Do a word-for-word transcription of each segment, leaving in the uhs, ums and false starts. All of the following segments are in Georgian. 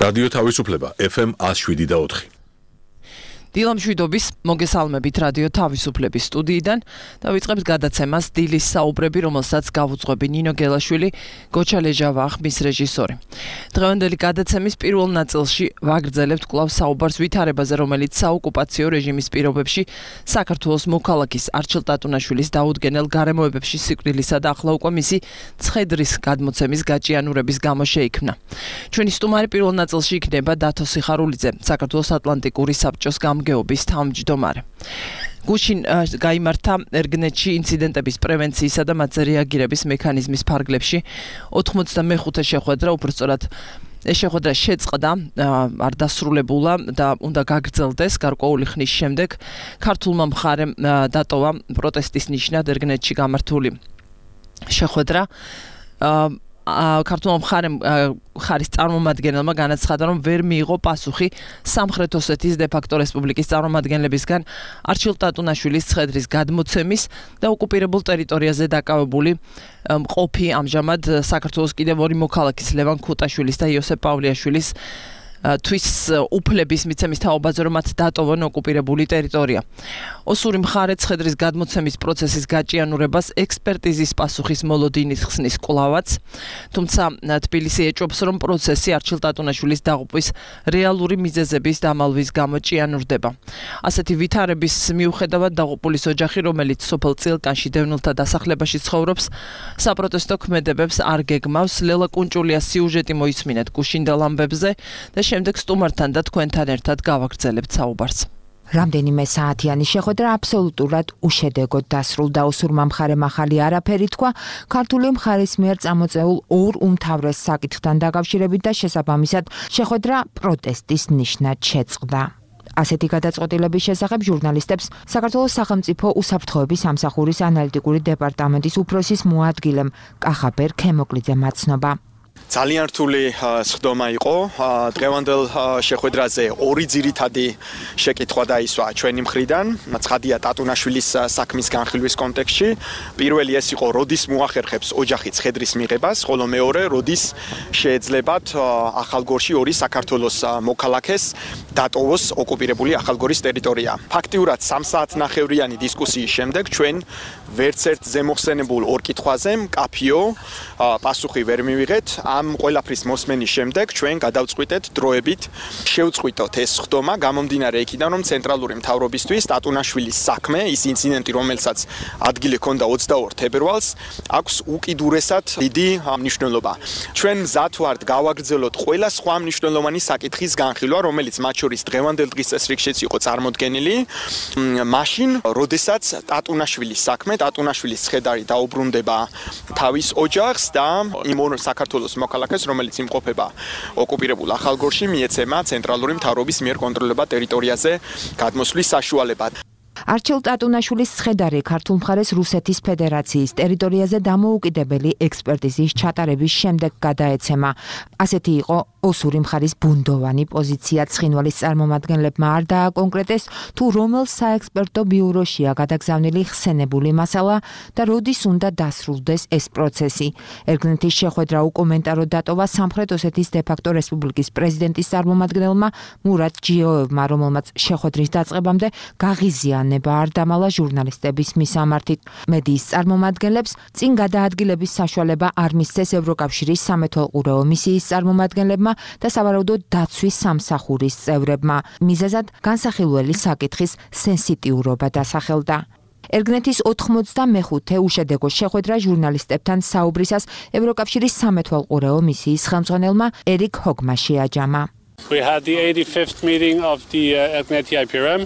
რადიო თავისუფლება ეფ ემ one oh seven და four. დილამშვიდობის მოგესალმებით რადიო თავისუფლების სტუდიიდან და ვიწყებთ გადაცემას დილის საუბრები, რომელსაც გავუძღვები ნინო გელაშვილი, გოჩა ლეჟავა ხმის რეჟისორი. დღევანდელი გადაცემის პირველ ნაწილში ვაგრძელებთ კვლავ საუბარს ვითარებაზე, რომელიც საოკუპაციო რეჟიმის პირობებში საქართველოს მოქალაქის არჩილ ტატუნაშვილის დაუდგენელ გარემოებებში სიკვდილისა და ახლა უკვე მისი ცხედრის გადმოცემის გაჭიანურების გამო შეიქმნა. ჩვენი სტუმარი პირველ ნაწილში იქნება დათო სიხარულიძე, საქართველოს ატლანტიკური საბჭოს გეობის თავმჯდომარე. გუშინ გაიმართა ერგნეტში ინციდენტების პრევენციისა და მათზე რეაგირების მექანიზმის ფარგლებში ოთხმოცდამეხუთე შეხვედრა, უბრალოდ ეს შეხვედრა შეწყდა, არ დასრულებულა და უნდა გაგრძელდეს გარკვეული ხნის შემდეგ. ქართულმა მხარემ დატოვა პროტესტის ნიშნად ერგნეტში გამართული შეხვედრა. ქართულმა მხარემ ხარის წარმომადგენელმა განაცხადა, რომ ვერ მიიღო პასუხი სამხრეთ ოსეთის დე-ფაქტო რესპუბლიკის წარმომადგენლებისგან არჩილ ტატუნაშვილის ცხედრის გადმოცემის და ოკუპირებულ ტერიტორიაზე დაკავებული მყოფი ამჟამად საქართველოს კიდევ ორი მოქალაქის ლევან ქუტაშვილის და იოსებ პავლეაშვილის თვის უფლების მიცემის თაობაზე, რომ მათ დატოვონ ოკუპირებული ტერიტორია. ოსური მხარე ცხედრის გადმოცემის პროცესის გაჭიანურებას ექსპერტიზის პასუხის მოლოდინით ხსნის კვლავაც, თუმცა თბილისი ეჭვობს, რომ პროცესი არჩილ ტატუნაშვილის დაღუპვის რეალური მიზეზების დამალვის გამო ჭიანურდება. ასეთი ვითარების მიუხედავად დაღუპულის ოჯახი, რომელიც სოფელ წილკანში დევნილთა დასახლებაში ცხოვრობს, საპროტესტო ქმედებებს არ გეგმავს. ლელა კუნჭულიას სიუჟეტი მოისმინეთ გუშინდელ ამბებზე და შემდეგ სტუმართან და თქვენთან ერთად გავაგრძელებთ საუბარს. რამდენიმე საათიანი შეხვედრა აბსოლუტურად უშედეგოდ დასრულდა. ოსურმა მხარემ ახალი არაფერი თქვა ქართული მხარის მიერ წამოწეულ ორ უმთავრეს საკითხთან დაკავშირებით და შესაბამისად შეხვედრა პროტესტის ნიშნად შეწყდა. ასეთი გადაწყვეტილების შესახებ ჟურნალისტებს საქართველოს სახელმწიფო უსაფრთხოების სამსახურის ანალიტიკური დეპარტამენტის უფროსის მოადგილემ კახაბერ ქემოკლიძემ აცნობა. ძალიან რთული სხდომა იყო. დღევანდელ შეხვედრაზე ორი ძირითადი შეკითხვა დაისვა ჩვენი მხრიდან. ცხადია ტატუნაშვილის საქმის განხილვის კონტექსტში. პირველი ეს იყო, როდის მოახერხებს ოჯახი ცხედრის მიღებას, ხოლო მეორე, როდის შეეძლებათ ახალგორში ორი საქართველოს მოქალაქეს დატოვოს ოკუპირებული ახალგორის ტერიტორია. ფაქტიურად სამ საათნახევრიანი დისკუსიის შემდეგ ჩვენ ვერც ერთ ზემოხსენებულ ორ კითხვაზე მკაფიო პასუხი ვერ მივიღეთ. ამ ყველაფრის მოსმენის შემდეგ ჩვენ გადავწყვიტეთ დროებით შევწყვიტოთ ეს სხდომა გამომდინარე იქიდან, რომ ცენტრალური მთავრობისთვის ტატუნაშვილის საქმე, ის ინციდენტი, რომელსაც ადგილი ჰქონდა ოცდაორ თებერვალს, აქვს უკიდურესად დიდი მნიშვნელობა. ჩვენ მზად ვართ გავაგრძელოთ ყველა სხვა მნიშვნელოვანი საკითხის განხილვა, რომელიც მათ შორის დღევანდელ დღის წესრიგშიც იყო წარმოდგენილი, მაშინ, როდესაც ტატუნაშვილის საქმე, ტატუნაშვილის ცხედარი დაუბრუნდება თავის ოჯახს და იმ საქართველოს მოქალაქეს, რომელიც იმყოფება ოკუპირებულ ახალგორში, მიეცემა ცენტრალური მთავრობის მიერ კონტროლება ტერიტორიაზე გადმოსვლის საშუალება. არჩილ ტატუნაშვილის ცხედარი ქართულ მხარეს რუსეთის ფედერაციის ტერიტორიაზე დამოუკიდებელი ექსპერტიზის ჩატარების შემდეგ გადაეცემა. ასეთი იყო ოსური მხარის ბუნდოვანი პოზიცია. ცხინვალის წარმომადგენლებმა არ დააკონკრეტეს, თუ რომელ საექსპერტო ბიუროშია გადაგზავნილი ხსენებული მასალა და როდის უნდა დასრულდეს ეს პროცესი. ერგნეტის შეხვედრა უკომენტარო დატოვა სამხრეთ ოსეთის დე-ფაქტო რესპუბლიკის პრეზიდენტის წარმომადგენელმა მურატ ჯიოევმა, რომელმაც შეხვედრის დაწყებამდე გაღიზიანება არ დამალა ჟურნალისტების მისამართით. მედიის წარმომადგენლებს წინ გადაადგილების საშუალება არ მისცეს ევროკავშირის სამეთვალყურეო მისიის წარმომადგენლებმა და სავარაუდოდ დაცვის სამსახურის წევრებმა. მიზეზად განსახილველი საკითხის სენსიტიურობა დასახელდა. ერგნეტის ოთხმოცდამეხუთე უშედეგო შეხვედრა ჟურნალისტებთან საუბრისას ევროკავშირის სამეთვალყურეო მისიის ხელმძღვანელმა ერიკ ჰოგმა შეაჯამა. We had the eighty-fifth meeting of the uh, ergneti I P R M.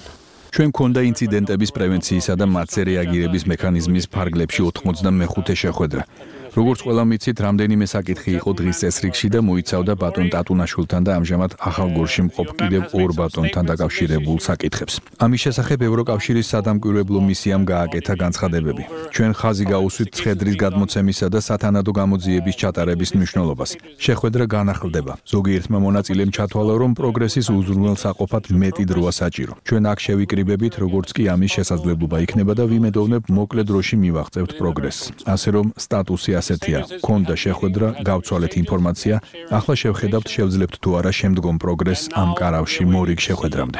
ჩვენ გქონდა ინციდენტების პრევენციისა და მათზე რეაგირების მექანიზმის ფარგლებში ოთხმოცდამეხუთე შეხვედრა. როგორც ყველა მიცით, რამდენიმე საკითხი იყო დღის წესრიგში და მოიცავდა ბატონ ტატუნაშვილთან და ამჟამად ახალგორში მყოფ კიდევ ორ ბატონთან დაკავშირებულ საკითხებს. ამის შესახებ ევროკავშირის სადამკვირვებლო მისიამ გააკეთა განცხადებები. ჩვენ ხაზი გაუსვით ცხედრის გადმოცემისა და სათანადო გამოძიების ჩატარების მნიშვნელობას. შეხვედრა განახლდება. ზოგიერთმა მონაწილემ ჩათვალა, რომ პროგრესის უზრუნველსაყოფად მეტი დროა საჭირო. ჩვენ აქ შევიკრიბებით, როგორც კი ამის შესაძლებლობა იქნება და ვიმედოვნებ მოკლე დროში მივაღწევთ პროგრესს. ასე რომ სტატუსი ასეთია: ქონდა შეხვედრა, გავცვალეთ ინფორმაცია, ახლა შევხედავთ შევძლებთ თუ არა შემდგომ პროგრესს ამ კარავში მორიგ შეხვედრამდე.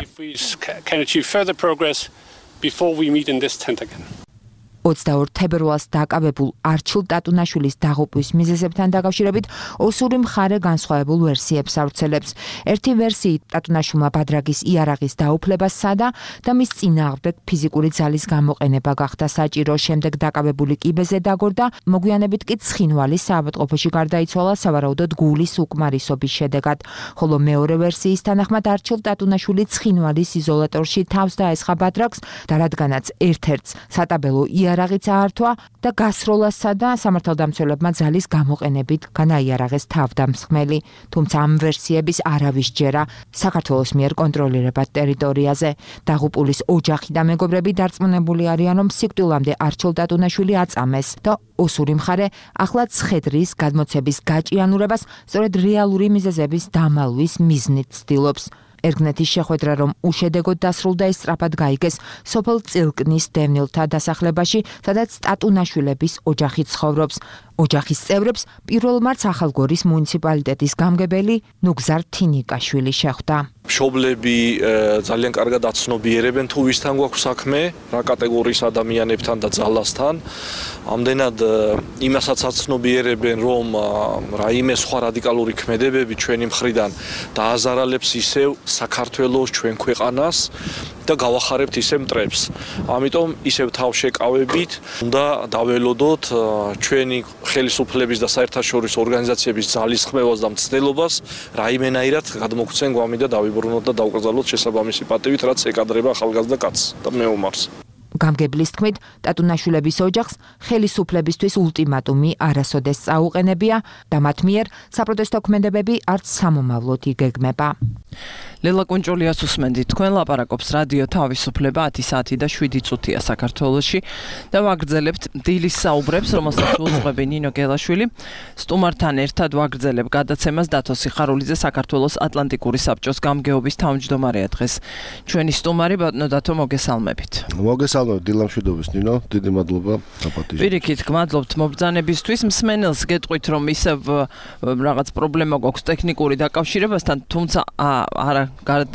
ოცდაორ თებერვალს დაკავებულ არჩილ ტატუნაშვილის დაღუპვის მიზეზებთან დაკავშირებით ოსური მხარე განსხვავებულ ვერსიებს ავრცელებს. ერთი ვერსიით ტატუნაშვილმა ბადრაგის იარაღის დაუფლება სცადა და მის წინააღმდეგ ფიზიკური ძალის გამოყენება გახდა საჭირო. შემდეგ დაკავებული კიბეზე დაგორდა, მოგვიანებით კი ცხინვალის საავადმყოფოში გარდაიცვალა სავარაუდოდ გულის უკმარისობის შედეგად. ხოლო მეორე ვერსიის თანახმად არჩილ ტატუნაშვილი ცხინვალის იზოლატორში თავს დაესხა ბადრაგს და რადგანაც ერთ-ერთს სატაბელო იარაღიც აართვა და გასროლასა და სამართალდამცველებმა ძალის გამოყენებით განაიარაღეს თავდამსხმელი, თუმცა ამ ვერსიების არავის ჯერა საქართველოს მიერ კონტროლირებად ტერიტორიაზე. დაღუპულის ოჯახი და მეგობრები დარწმუნებული არიან, რომ სიკვდილამდე არჩილ ტატუნაშვილი აწამეს და ოსური მხარე ახლა ცხედრის გადმოცემის გაჭიანურებას სწორედ რეალური მიზეზების დამალვის მიზნით ცდილობს. ერგნეთის შეხვედრა რომ უშედეგოდ დასრულდა, ის სწრაფად გაიგეს სოფელ წილკნის დევნილთა დასახლებაში, სადაც ტატუნაშვილების ოჯახი ცხოვრობს. ოჯახის წევრებს პირველ მარტს ახალგორის მუნიციპალიტეტის გამგებელი ნუგზარ თინიკაშვილი შეხვდა. მშობლები ძალიან კარგად აცნობიერებენ თუ ვისთან გვაქვს საქმე, რა კატეგორიის ადამიანებთან და ძალასთან. ამდენად იმასაც აცნობიერებენ, რომ რაიმე სხვა რადიკალური ქმედებები ჩვენი მხრიდან დააზარალებს ისევ საქართველოს ჩვენ ქვეყანას და გავახარებთ ისევ მტრებს. ამიტომ ისევ თავშეკავებით უნდა დაველოდოთ ჩვენი ხელისუფლების და საერთაშორისო ორგანიზაციების ძალისხმევას და მცდელობას რაიმენაირად გადმოგცენ გვამი და დავიბრუნოთ და დავკრძალოთ შესაბამისი პატივით, რაც ეკადრება ახალგაზრდა კაცს და მეომარს. გამგებლის თქმით, ტატუნაშვილების ოჯახს ხელისუფლებისთვის ულტიმატუმი არასოდეს წაუყენებია და მათ მიერ საპროტესტო ქმედებები არც სამომავლოდ იგეგმება. ლელა კუნჭულიას უსმენდით, თქვენ ლაპარაკობს რადიო თავისუფლება ათი საათი და შვიდი წუთია საქართველოში და ვაგრძელებთ დილის საუბრებს, რომელსაც უძღვები ნინო გელაშვილი. სტუმართან ერთად ვაგრძელებ გადაცემას დათო სიხარულიძე, საქართველოს ატლანტიკური საბჭოს გამგეობის თავმჯდომარეა დღეს. ჩვენი სტუმარი ბატონო დათო, მოგესალმებით. მოგესალმებით დილამშვიდობის ნინო, დიდი მადლობა დაპატიჟებით. პირიქით, გმადლობთ მობრძანებისთვის. მსმენელს გეტყვით, რომ ისევ რაღაც პრობლემა გვაქვს ტექნიკური დაკავშირებასთან, თუმცა არა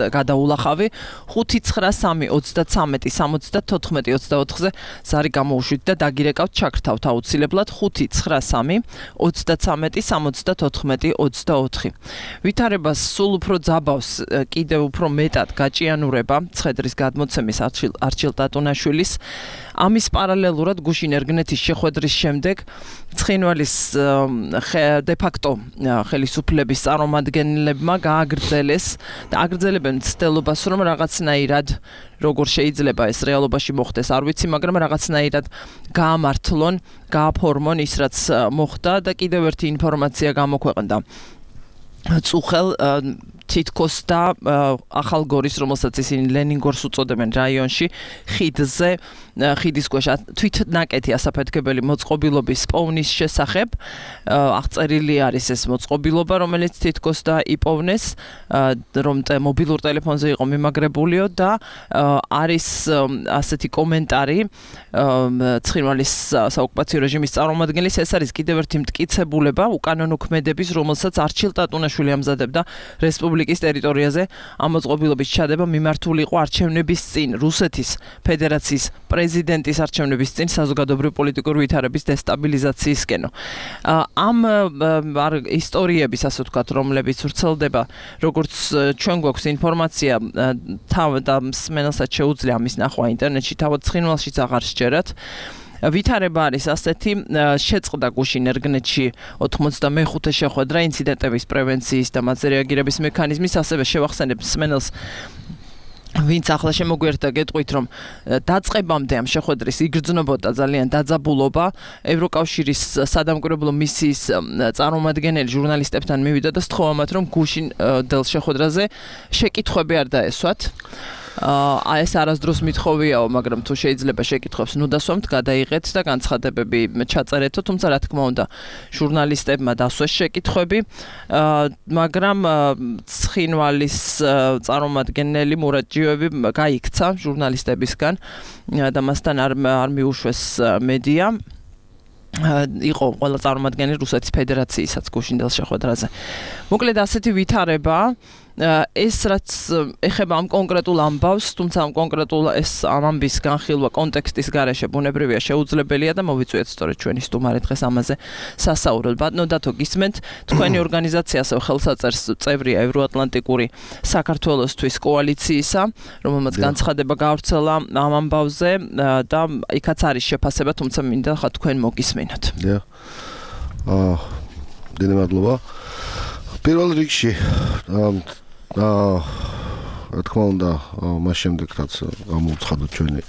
გადაულახავი ხუთი ცხრა სამი ოცდათრამეტი სამოცდათოთხმეტი ოცდაოთხზე ზარი გამოუშვით და დაგირეკავთ ჩაქრთავთ აუცილებლად ხუთი ცხრა სამი ოცდათრამეტი სამოცდათოთხმეტი ოცდაოთხი. ვითარებას სულ უფრო ძაბავს კიდევ უფრო მეტად გაჭიანურება ცხედრის გადმოცემის არჩილ ტატუნაშვილის. ამის პარალელურად გუშინ ერგნეთის შეხვედრის შემდეგ ცხინვალის de facto ხელისუფლების წარმომადგენლებმა გააგრძელეს და აგრძელებენ ცდილობას, რომ რაღაცნაირად როგორ შეიძლება ეს რეალობაში მოხდეს, არ ვიცი, მაგრამ რაღაცნაირად გაამართლონ, გააფორმონ ის, რაც მოხდა და კიდევ ერთი ინფორმაცია გამოქვეყნდა. წუხელ თითქოს და ახალგორის, რომელსაც ისინი ლენინგორს უწოდებენ რაიონში, ხიდზე, ხიდის ქვეშ თვით ნაკეთი ასაფეთქებელი მოწყობილობის პოვნის შესახებ აღწერილი არის ეს მოწყობილობა, რომელიც თითქოს და იპოვნეს, რომ მობილურ ტელეფონზე იყო მიმაგრებულიო და არის ასეთი კომენტარი ცხინვალის საოკუპაციო რეჟიმის წარმომადგენლის, ეს არის კიდევ ერთი მტკიცებულება უკანონო ქმედების, რომელსაც არჩილ ტატუნაშვილი ამზადებდა რესპუბლიკის ტერიტორიაზე ამ მოწყობილობის ჩადება მიმართული იყო არჩევნების წინ რუსეთის ფედერაციის პრეზიდენტის არჩევნების წინ საზოგადოებრივი პოლიტიკური ვითარების დესტაბილიზაციისკენ. ამ ისტორიების, ასე ვთქვათ, რომლებიც ვრცელდება, როგორც ჩვენ გვაქვს ინფორმაცია, თავ და მსმენელსაც შეუძლია ამის ნახვა ინტერნეტში, თავად ცხინვალშიც აღარ სჯერათ. ვითარება არის ასეთი, შეწყდა გუშინ ერგნეთში ოთხმოცდამეხუთე შეხვედრა ინციდენტების პრევენციის და მათზე რეაგირების მექანიზმის, ასევე შევახსენებ მსმენელს ვინც ახლა შემოგვიერთდა, გეტყვით, რომ დაწყებამდე ამ შეხვედრის იგრძნობოდა ძალიან დაძაბულობა. ევროკავშირის სადამკვირვებლო მისიის წარმომადგენელი ჟურნალისტებთან მივიდა და სთხოვა მათ, რომ გუშინ დელ შეხვედრაზე შეკითხვები არ დაესვათ. აა ეს არასდროს მithოვიაო, მაგრამ თუ შეიძლება შეკითხვებს ნუ დასვამთ, გადაიღეთ და განცხადებები ჩაწერეთო, თუმცა რა თქმა უნდა, ჟურნალისტებმა დასვეს შეკითხვები, მაგრამ ცხინვალის წარმომადგენელი მურაჯიევი გაიქცა ჟურნალისტებისგან და მასთან არ არ მიუშვეს მედია. იყო ყველა წარმომადგენელი რუსეთის ფედერაციისაც გუშინდელ შეხვედრაზე. მოკლედ ასეთი ვითარება ეს რაც ეხება ამ კონკრეტულ ამბავს, თუმცა ამ კონკრეტულ ეს ამ ამბის განხილვა კონტექსტის გარეშე ბუნებრივია შეუძლებელია და მოვიწვიეთ სწორედ ჩვენი სტუმარი დღეს ამაზე სასაუბრად. ბატონო დათო, გისმენთ, თქვენი ორგანიზაცია ასევე ხელსაწერს წევრია ევროატლანტიკური საქართველოსთვის კოალიციისა, რომელმაც განცხადება გავრცელა ამ ამბავზე და იქაც არის შეფასება, თუმცა მინდა ხა თქვენ მოგისმენოთ. დიახ. აა დიდი მადლობა. პირველ რიგში აა რა თქმა უნდა მას შემდეგ რაც გამოუცხადოთ ჩვენი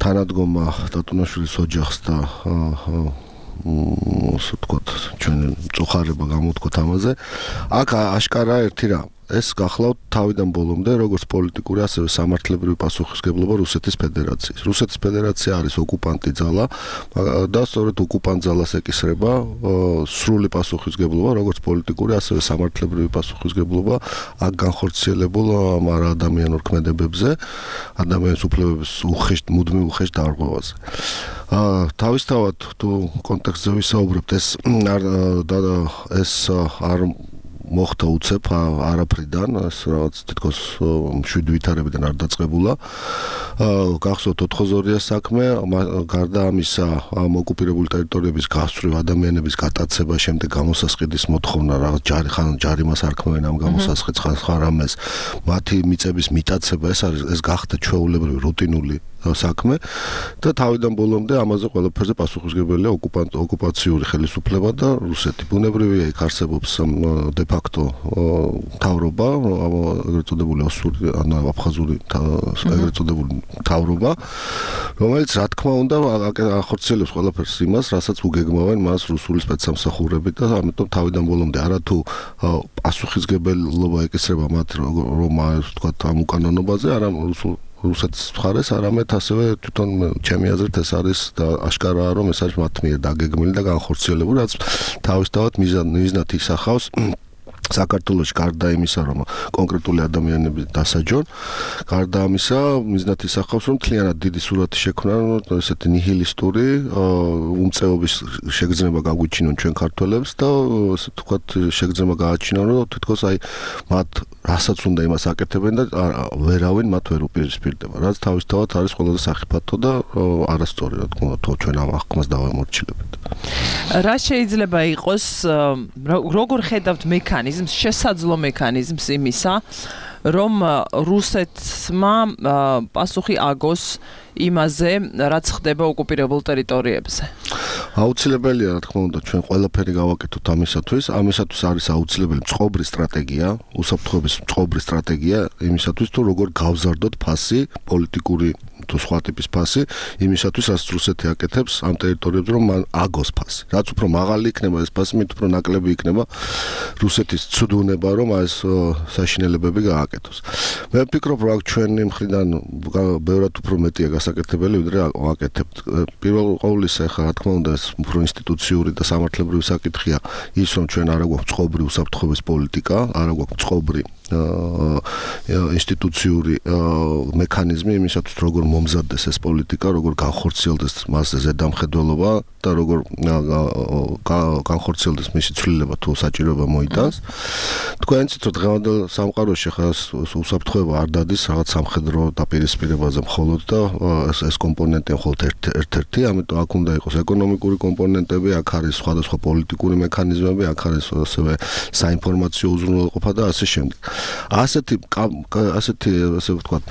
თანადგომა დატუნაშვილის ოჯახს და ასე ვთქვათ ჩვენი წუხარება გამოთქვათ ამაზე აქ აშკარა ერთი რამ ეს გახლავთ თავიდან ბოლომდე როგორც პოლიტიკური ასევე სამართლებრივი პასუხისგებლობა რუსეთის ფედერაციის. რუსეთის ფედერაცია არის ოკუპანტი ძალა და სწორედ ოკუპანტ ძალას ეკისრება სრული პასუხისგებლობა როგორც პოლიტიკური ასევე სამართლებრივი პასუხისგებლობა აქ განხორციელებულ ამ ადამიანურ ქმედებებზე, ადამიანის უფლებების უხეშ მუდმივ უხეშ დარღვევაზე. თავისთავად თუ კონტექსტზე ვისაუბრებთ ეს ეს არ მოხდა უცებ არაფრიდან, ეს რაღაც თითქოს შვიდ ვითარებიდან არ დაწყებულა. გახსოვთ ოთხ-ორია საქმე, გარდა ამისა, ამ ოკუპირებული ტერიტორიების გასწვრივ ადამიანების გატაცება, შემდეგ გამოსასყიდის მოთხოვნა, რაღაც ჯარი ხან ჯარიმას არქმევენ ამ გამოსასყიდს ხან სხვა რამეს, მათი მიწების მიტაცება, ეს არის ეს გახდა ჩვეულებრივი რუტინული საქმე და თავიდან ბოლომდე ამაზე ყველაფერზე პასუხისმგებელია ოკუპანტ ოკუპაციური ხელისუფლება და რუსეთი. ბუნებრივია იქ არსებობს დე ფაქტო თავრობა, ეგრეთ წოდებული ოსური ან აფხაზური ეგრეთ წოდებული თავრობა, რომელიც რა თქმა უნდა ახორციელებს ყველაფერს იმას, რასაც უგეგმავენ მას რუსული სპეცსამსახურები და ამიტომ თავიდან ბოლომდე არათუ პასუხისმგებლობა ეკისრება მათ რომ ვთქვათ ამ უკანონობაზე, არა რუსულ რუსეთის მხარეს, არამედ ასევე თვითონ ჩემი აზრით ეს არის და აშკარაა რომ ეს არის მათ მიერ დაგეგმილი და განხორციელებული, რაც თავისთავად მიზნად ისახავს საქართველოში გარდა იმისა, რომ კონკრეტული ადამიანები დასაჯონ, გარდა ამისა მიზნად ისახავს, რომ მთლიანად დიდი სურათი შექმნა, ესეთი ნიჰილისტური უმწეობის შეგრძნება გაგვიჩინონ ჩვენ ქართველებს და ასე ვთქვათ შეგრძნება გააჩინონ, რომ თითქოს აი მათ რასაც უნდა იმას აკეთებენ და ვერავინ მათ ვერ უპირისპირდება, რაც თავისთავად არის ყველაზე სახიფათო და არასწორი, რა თქმა უნდა, ჩვენ ამ აღქმას დავამორჩილებთ. რა შეიძლება იყოს, როგორ ხედავთ მექანიზმს, შესაძლო მექანიზმს იმისა, რომ რუსეთმა პასუხი აგოს იმაზე, რაც ხდება ოკუპირებულ ტერიტორიებზე. აუცილებელია, რა თქმა უნდა, ჩვენ ყველაფერი გავაკეთოთ ამისათვის. ამისათვის არის აუცილებელი წყობრი სტრატეგია, უსაფრთხოების წყობრი სტრატეგია იმისათვის, თუ როგორ გავზარდოთ ფასი, პოლიტიკური თუ სხვა ტიპის ფასი, იმისათვის, რაც რუსეთი აკეთებს ამ ტერიტორიებზე, რომ მან აგოს ფასი. რაც უფრო მაღალი იქნება ეს ფასი, მით უფრო ნაკლები იქნება რუსეთის ცუდუნება, რომ ეს საშინელებები გააკეთოს. მე ვფიქრობ, რომ ჩვენი მხრიდან ბევრად უფრო მეტია გასაკეთებელი, ვიდრე ვაკეთებთ. პირველ ყოვლისა, ხა, რა თქმა უნდა, ეს უფრო ინსტიტუციური და სამართლებრივი საკითხია ის, რომ ჩვენ არა გვაქვს წყობრი უსაფრთხოების პოლიტიკა, არა გვაქვს წყობრი ინსტიტუციური მექანიზმი იმისათვის, როგორ მომზადდეს ეს პოლიტიკა, როგორ განხორციელდეს მასზე ზედამხედველობა და როგორ განხორციელდეს მისი ცვლილება თუ საჭიროება მოიტანს. თქვენ იცით, რომ დღევანდელ სამყაროში ხა უსაფრთხოება არ დადის რაღაც სამხედრო დაპირისპირებაზე მხოლოდ და ეს კომპონენტი მხოლოდ ერთ-ერთი, ამიტომ აქ უნდა იყოს ეკონომიკური კომპონენტები, აქ არის სხვადასხვა პოლიტიკური მექანიზმები, აქ არის ასევე საინფორმაციო უზრუნველყოფა და ასე შემდეგ. ასეთი ასეთი ასე ვთქვათ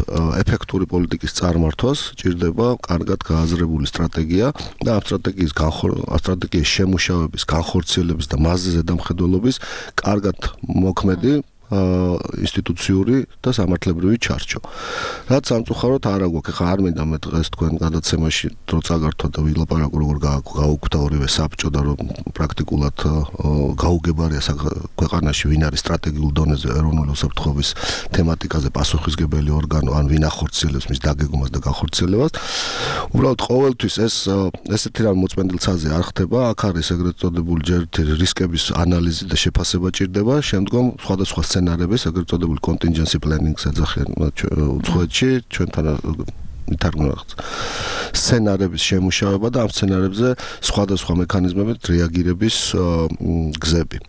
ეფექტური პოლიტიკის წარმართვას ჭირდება კარგად გააზრებული სტრატეგია და ამ სტრატეგიის სტრატეგიის შემუშავების, განხორციელების და მასზე ზედამხედველობის კარგად მოქმედი ინსტიტუციური და სამართლებრივი ჩარჩო. რაც სამწუხაროდ არ აგვაქვს, ხა არ მინდა მე დღეს თქვენ გადაცემაში დრო წაგართვა და ვილაპარაკო როგორ გაუგვდა ორივე საბჭო და რომ პრაქტიკულად გაუგებარია ქვეყანაში ვინ არის სტრატეგიულ დონეზე ეროვნული უსაფრთხოების თემატიკაზე პასუხისმგებელი ორგანო, ან ვინ ახორციელებს მის დაგეგმვას და განხორციელებას. უბრალოდ ყოველთვის ეს ესეთი რამ მოწმენდილცაზე არ ხდება, აქ არის ეგრეთ წოდებული ჯერ რისკების ანალიზი და შეფასება ჭირდება, შემდგომ სხვადასხვა სცენარების, ეგრეთ წოდებული კონტინჯენსი პლენინგს ეძახიან უცხოეთში, ჩვენთან ითარგმნა სცენარების შემუშავება და ამ სცენარებზე სხვადასხვა მექანიზმებით რეაგირების გზები.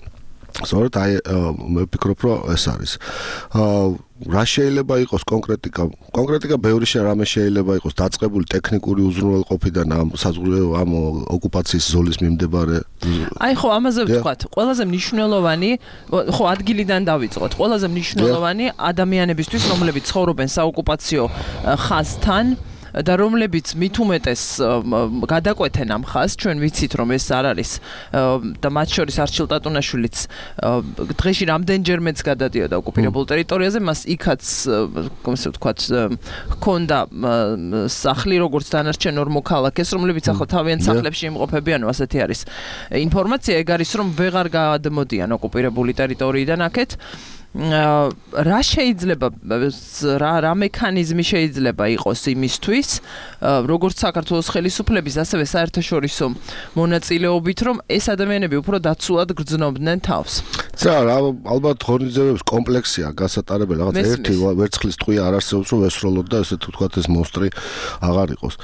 სწორედ აი მე ვფიქრობ, რომ ეს არის. რა შეიძლება იყოს კონკრეტიკა? კონკრეტიკა ბევრი რამე შეიძლება იყოს დაწყებული ტექნიკური უზრუნველყოფიდან ამ საზღვაო ამ ოკუპაციის ზოლის მიმდებარე. აი ხო, ამაზე ვთქვათ, ყველაზე მნიშვნელოვანი, ხო, ადგილიდან დავიწყოთ. ყველაზე მნიშვნელოვანი ადამიანებისთვის, რომლებიც ცხოვრობენ საოკუპაციო ხაზთან და რომლებიც მით უმეტეს გადაკვეთენ ამ ხაზს, ჩვენ ვიცით რომ ეს არ არის და მათ შორის არჩილ ტატუნაშვილიც დღეში რამდენჯერმეც გადადიოდა ოკუპირებულ ტერიტორიაზე, მას იქაც ასე ვთქვათ ჰქონდა სახლი როგორც დანარჩენ ორ მოქალაქეს, რომლებიც ახლა თავიანთ სახლებში იმყოფებიან, ასეთი არის ინფორმაცია, ეგ არის რომ ვეღარ გადმოდიან ოკუპირებული ტერიტორიიდან აქეთ. რა შეიძლება რა რა მექანიზმი შეიძლება იყოს იმისთვის, როგორც საქართველოს ხელისუფლების, ასევე საერთაშორისო მონაწილეობით, რომ ეს ადამიანები უფრო დაცულად გრძნობდნენ თავს. ძა რა ალბათ ღონისძიებების კომპლექსია გასატარებელი, რაღაც ერთი ვერცხლის ტყვია არ არსებობს, რომ ესროლოთ და ესე თუ თქვათ ეს მონსტრი აღარ იყოს.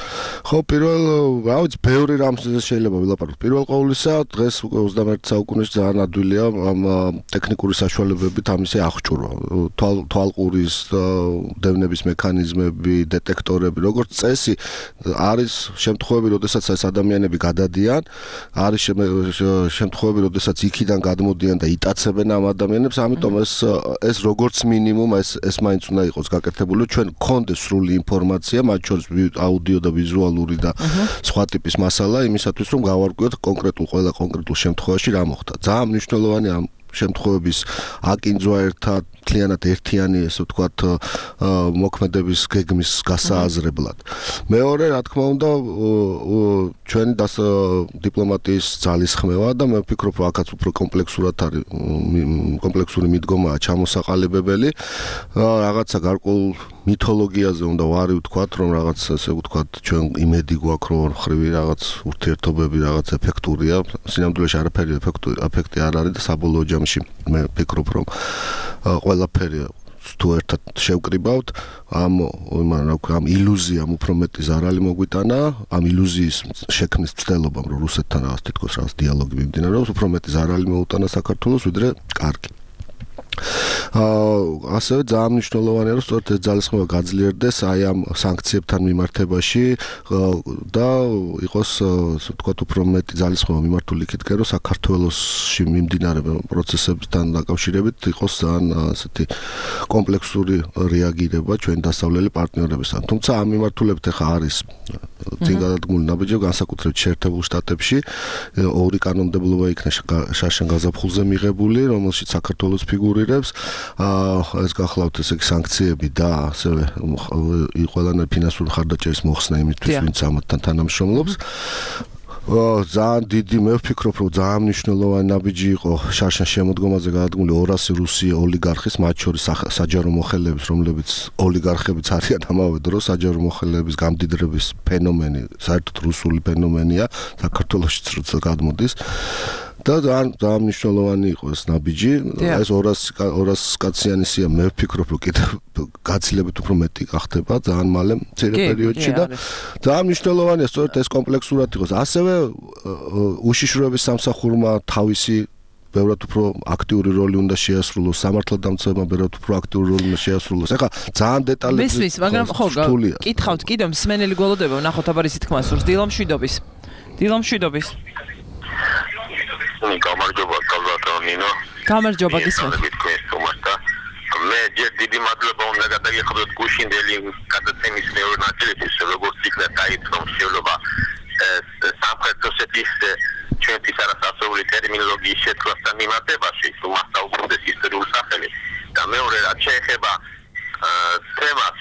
ხო, პირველ რა ვიცი, ბევრი რამზე შეიძლება ვილაპარაკოთ. პირველ ყოვლისა, დღეს უკვე ოცდამეერთე საუკუნეში ძალიან ადვილია ამ ტექნიკური საშუალებებით ამის აღჭურვა, თვალყურის დევნების მექანიზმები, დეტექტორები, როგორც წესი არის შემთხვევები, როდესაც ეს ადამიანები გადადიან, არის შემთხვევები, როდესაც იქიდან გადმოდიან და იტაცებენ ამ ადამიანებს, ამიტომ ეს ეს როგორც მინიმუმ ეს ეს მაინც უნდა იყოს გაკეთებული, ჩვენ გქონდეს სრული ინფორმაცია, მათ შორის აუდიო და ვიზუალური და სხვა ტიპის მასალა იმისათვის, რომ გავარკვიოთ კონკრეტულ ყველა კონკრეტულ შემთხვევაში რა მოხდა. ძალიან მნიშვნელოვანია ამ შემთხვევების აკინძვა ერთად მთლიანად ერთიანი, ესე ვთქვათ, მოქმედების გეგმის გასააზრებლად. მეორე, რა თქმა უნდა, ჩვენი დიპლომატიის ძალისხმევა და მე ვფიქრობ, რომ აქაც უფრო კომპლექსურად არის კომპლექსური მიდგომაა ჩამოსაყალიბებელი. რაღაცა გარკვეულ მითოლოგიაზე უნდა ვარი ვთქვათ, რომ რაღაც ესე ვთქვათ, ჩვენ იმედი გვაქვს, რომ ხრივი რაღაც ურთიერთობები რაღაც ეფექტურია. სინამდვილეში არაფერი ეფექტი არ არის და საბოლოო ჯამში მე ვფიქრობ, რომ ყველაფერი თუ ერთად შევკრიბავთ, ამ ამ ილუზიამ უფრო მეტი ზარალი მოგვიტანა, ამ ილუზიის შექმნის მცდელობამ, რომ რუსეთთან რაღაც თითქოს რაღაც დიალოგი მიმდინარეობს, უფრო მეტი ზარალი მოუტანა საქართველოს, ვიდრე კარგი. ასევე ძალიან მნიშვნელოვანია, რომ სწორედ ეს ძალისხმევა გაძლიერდეს აი ამ სანქციებთან მიმართებაში და იყოს, ასე ვთქვათ, უფრო მეტი ძალისხმევა მიმართული იქითკენ, რომ საქართველოსში მიმდინარე პროცესებთან დაკავშირებით იყოს ძალიან ასეთი კომპლექსური რეაგირება ჩვენ დასავლელი პარტნიორებისგან. თუმცა ამ მიმართულებით ახლა არის წინ გადადგმული ნაბიჯები, განსაკუთრებით შეერთებულ შტატებში ორი კანონმდებლობა იქნა შაშან გაზაფხულზე მიღებული, რომელშიც საქართველოს ფიგურირებს. ეს გახლავთ ესე იგი სანქციები და ასევე ყველანაირი ფინანსური მხარდაჭერის მოხსნა იმისთვის, ვინც ამათთან თანამშრომლობს. ძალიან დიდი მე ვფიქრობ, რომ ძალიან მნიშვნელოვანი ნაბიჯი იყო შარშან შემოდგომაზე გადადგმული ორასი რუსი ოლიგარხის, მათ შორის საჯარო მოხელეების, რომლებიც ოლიგარხებიც არიან ამავე დროს, საჯარო მოხელეების გამდიდრების ფენომენი, საერთოდ რუსული ფენომენია, საქართველოშიც როცა გადმოდის. და ძალიან ძალიან მნიშვნელოვანი იყო ეს ნაბიჯი. ეს ორასი კაციანი სია მე ვფიქრობ, რომ კიდევ გაცილებით უფრო მეტი გახდება ძალიან მალე მცირე პერიოდში და ძალიან მნიშვნელოვანია სწორედ ეს კომპლექსურად იყოს. ასევე უშიშროების სამსახურმა თავისი ბევრად უფრო აქტიური როლი უნდა შეასრულოს, სამართალდამცავებმა ბევრად უფრო აქტიური როლი უნდა შეასრულოს. ეხლა ძალიან დეტალები მისმის, მაგრამ ხო, კითხავთ კიდევ მსმენელი გველოდება, ნახოთ აბარ ისეთ თქმა სურს დილამშვიდობის. დილამშვიდობის. გამარჯობა, კალვატონინო. გამარჯობა, გისმენთ. მე ჯერ დიდი მადლობა უნდა გადაგიხადოთ გუშინდელი გადაცემის მეორე ნაწილისთვის, როგორც იქნა დაიწყო მსვლელობა სამხრეთ ოსეთის ჩვენთვის არასასრული ტერმინოლოგიის შეცვლასთან მიმართებაში, თუ მას დაუბრუნდეს ისტორიულ სახელი. და მეორე რაც შეეხება თემას,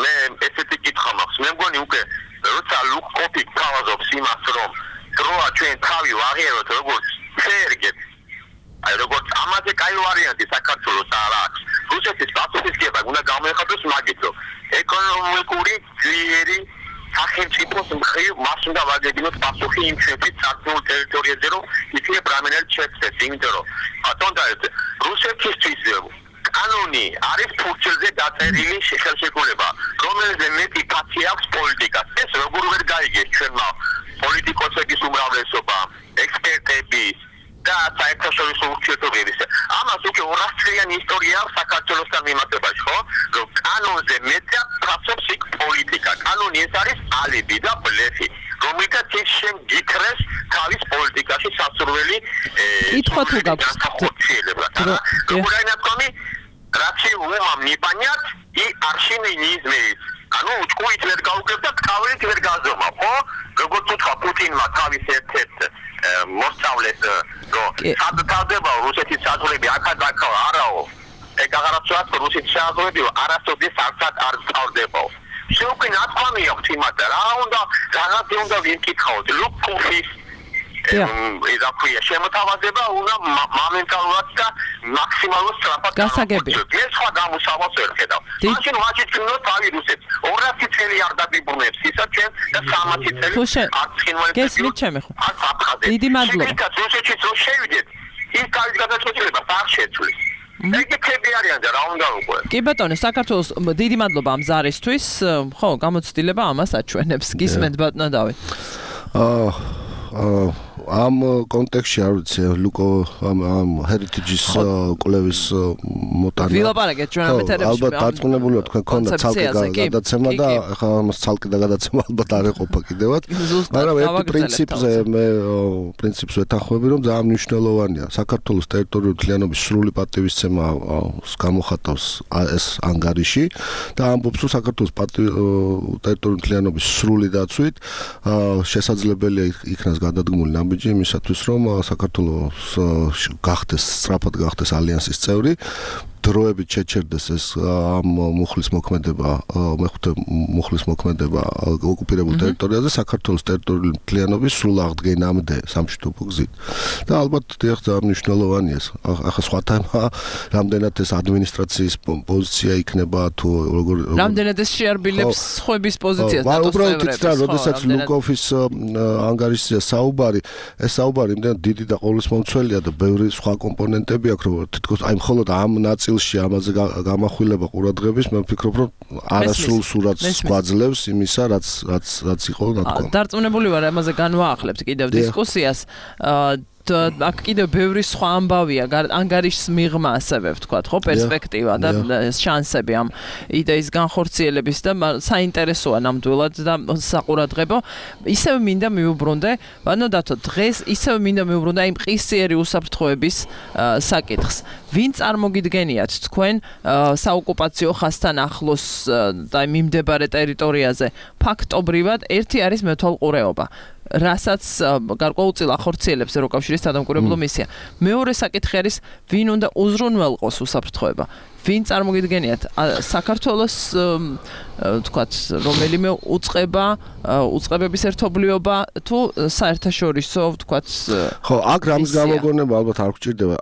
მე ესეთი კითხვა მაქვს, მე მგონი უკვე როცა ლუკ-კოპი თავაზობს იმას, რომ დროა ჩვენ თავი ვაღიაროთ როგორც ფერგეთ. აი როგორც ამაზე კაი ვარიანტი საქართველოს არ აქვს. რუსეთის პასუხისგება უნდა გამოიხადოს მაგით, რომ ეკონომიკური ძლიერი სახელმწიფოს მხრივ მას უნდა ვაგებინოთ პასუხი იმ ჩვენთვის საქართველოს ტერიტორიაზე, რომ იქნებ რამენელ შეცდეს, იმიტომ რომ ბატონო რუსეთისთვის კანონი არის ფურცელზე დაწერილი ხელშეკრულება, რომელზე მეტი კაცი აქვს პოლიტიკას. ეს როგორ ვერ გაიგეს ჩვენმა პოლიტიკოსების უმრავლესობა, ექსპერტები და საერთაშორისო ურთიერთობების. ამას უკვე ორასწლიანი ისტორია აქვს საქართველოსთან მიმართებაში, ხო? რომ კანონზე მეტად ფასობს იქ პოლიტიკა. კანონი ეს არის ალიbi და ბლეფი, რომელთაც ის შენ გიქრეს თავის პოლიტიკაში სასურველი კითხვა თუ გაქვს ხორციელება. როგორია ნათქვამი? Raci umam nipaniat i arshini nizmeis. Anu uçkuit ver gaugeb da tkaverit ver gazoma. Ხო? როგორ თქვა პუტინმა თავის ერთ-ერთ მოსწავლეს რომ სადთავდება რუსეთის საზღვრები აქა-აქა არაო. ეგ აღარაცვაც რუსეთის საზღვრები არასოდეს არცად არ სწავდებაო. შეუქმნი ნათქვამი აქვს იმათ რა უნდა რაღაც უნდა ვიკითხავთ. ლუკფის ეს აქვია შემოთავაზება უნდა მომენტალურად და მაქსიმალურად სწრაფად გასაგები. ეს სხვა გამოსავალს ვერ ხედავ. მაშინ ვაჭით უნდა თავი რუსეთს. ორასი წელი არ დაგიბრუნებს ისა ჩვენ და სამასი წელი არ ცხინვალებს. გესმით ჩემი ხო? დიდი მადლობა. რუსეთშიც რო შევიდეთ, ის თავის გადაწყვეტილებას არ შეცვლის. ეგ ქები არიან და რა უნდა უკვე. კი ბატონო, საქართველოს დიდი მადლობა ამ ზარისთვის. ხო, გამოცდილება ამას აჩვენებს. გისმენთ ბატონო დავით. აა აა ამ კონტექსტში არ ვიცი ლუკო ამ ამ heritage-ის კვლევის მოტანა ვილაპარაკეთ ჩვენ ამ ეთერებში ალბათ დარწმუნებული ვარ თქვენ ქონდა ცალკე გადაცემა და ახლა ამას ცალკე და გადაცემა ალბათ არ ეყოფა კიდევაც მაგრამ ერთი პრინციპზე მე პრინციპს ვეთანხმები რომ ძალიან მნიშვნელოვანია საქართველოს ტერიტორიული მთლიანობის სრული პატივისცემა გამოხატავს ეს ანგარიში და ამბობს რომ საქართველოს ტერიტორიული მთლიანობის სრული დაცვით შესაძლებელია იქნას გადადგმული იმისათვის რომ საქართველოს გახდეს სწრაფად გახდეს ალიანსის წევრი დროებით შეჩერდეს ეს ამ მუხლის მოქმედება მეხუთე მუხლის მოქმედება ოკუპირებულ ტერიტორიაზე საქართველოს ტერიტორიული მთლიანობის სრულ აღდგენამდე სამშვიდობო გზით და ალბათ დიახ ძალიან მნიშვნელოვანია ეს ახლა სხვა თემა რამდენად ეს ადმინისტრაციის პოზიცია იქნება თუ როგორ რამდენად ეს შეარბილებს სხვების პოზიციას და უბრალოდ იცით რა როდესაც ლუკოფის ანგარიშია საუბარი ეს საუბარი იმდენ დიდი და ყოვლისმომცველია და ბევრი სხვა კომპონენტები აქვს რომ თითქოს აი მხოლოდ ამ ნაწილ ამაზე გამახვილება ყურადღების მე ვფიქრობ რომ არასრულ სურათს გვაძლევს იმისა რაც რაც რაც იყო ნათქვამი. დარწმუნებული ვარ ამაზე განვაახლებთ კიდევ დისკუსიას. აქ კიდევ ბევრი სხვა ამბავია ანგარიშის მიღმა ასევე ვთქვათ ხო პერსპექტივა და შანსები ამ იდეის განხორციელების და საინტერესოა ნამდვილად და საყურადღებო ისევ მინდა მიუბრუნდე ანუ დათო დღეს ისევ მინდა მიუბრუნდე იმ ყისიერი უსაფრთხოების საკითხს ვინ წარმოგიდგენიათ თქვენ საოკუპაციო ხაზთან ახლოს და მიმდებარე ტერიტორიაზე ფაქტობრივად ერთი არის მეთვალყურეობა რასაც გარკვეულწილ ახორციელებს ევროკავშირის სადამკვირვებლო მისია. მეორე საკითხი არის ვინ უნდა უზრუნველყოს უსაფრთხოება. ვინ წარმოგიდგენიათ საქართველოს თქვათ რომელიმე უწყება უწყებების ერთობლიობა თუ საერთაშორისო თქვათ ხო აქ რამის გამოგონება ალბათ არ გვჭირდება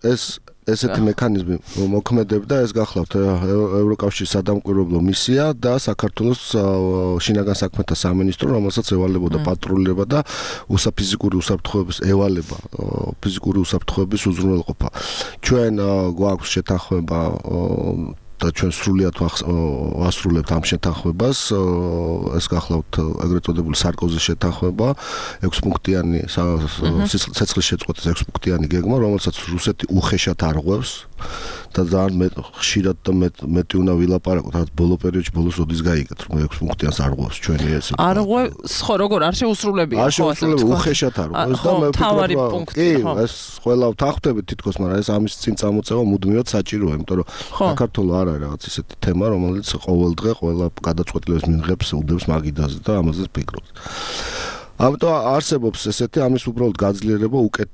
ეს ესეთი მექანიზმი მოქმედებდა ეს გახლავთ ევროკავშირის სადამკვირვებლო მისია და საქართველოს შინაგან საქმეთა სამინისტრო რომელსაც ევალებოდა პატრულირება და უსაფიზიკური უსაფრთხოების ევალება ფიზიკური უსაფრთხოების უზრუნველყოფა ჩვენ გვაქვს შეთანხმება და ჩვენ სრულიად ვასრულებთ ამ შეთანხმებას ეს გახლავთ ეგრეთ წოდებული სარკოზის შეთანხმება ექვს პუნქტიანი ცეცხლის შეწყვეტის ექვს პუნქტიანი გეგმა რომელსაც რუსეთი უხეშად არღვევს და ძალიან ხშირად და მეტი უნდა ვილაპარაკოთ რაც ბოლო პერიოდში ბოლოს როდის გაიგეთ რომ ექვს პუნქტიანს არღვევს ჩვენი ეს არღვევს ხო როგორ არ შეუსრულებია არ შეუსრულებია უხეშად არღვევს და მე თავარი პუნქტი კი ეს ყველა ვთანხმდებით თითქოს მაგრამ ეს ამის წინ წამოწევა მუდმივად საჭიროა იმიტომ რომ საქართველოს არ არის რაღაც ისეთი თემა რომელიც ყოველ დღე ყველა გადაწყვეტილებას მიიღებს უდევს მაგიდაზე და ამაზე ფიქრობს ამიტომ არსებობს ესეთი ამის უბრალოდ გაძლიერება უკეთ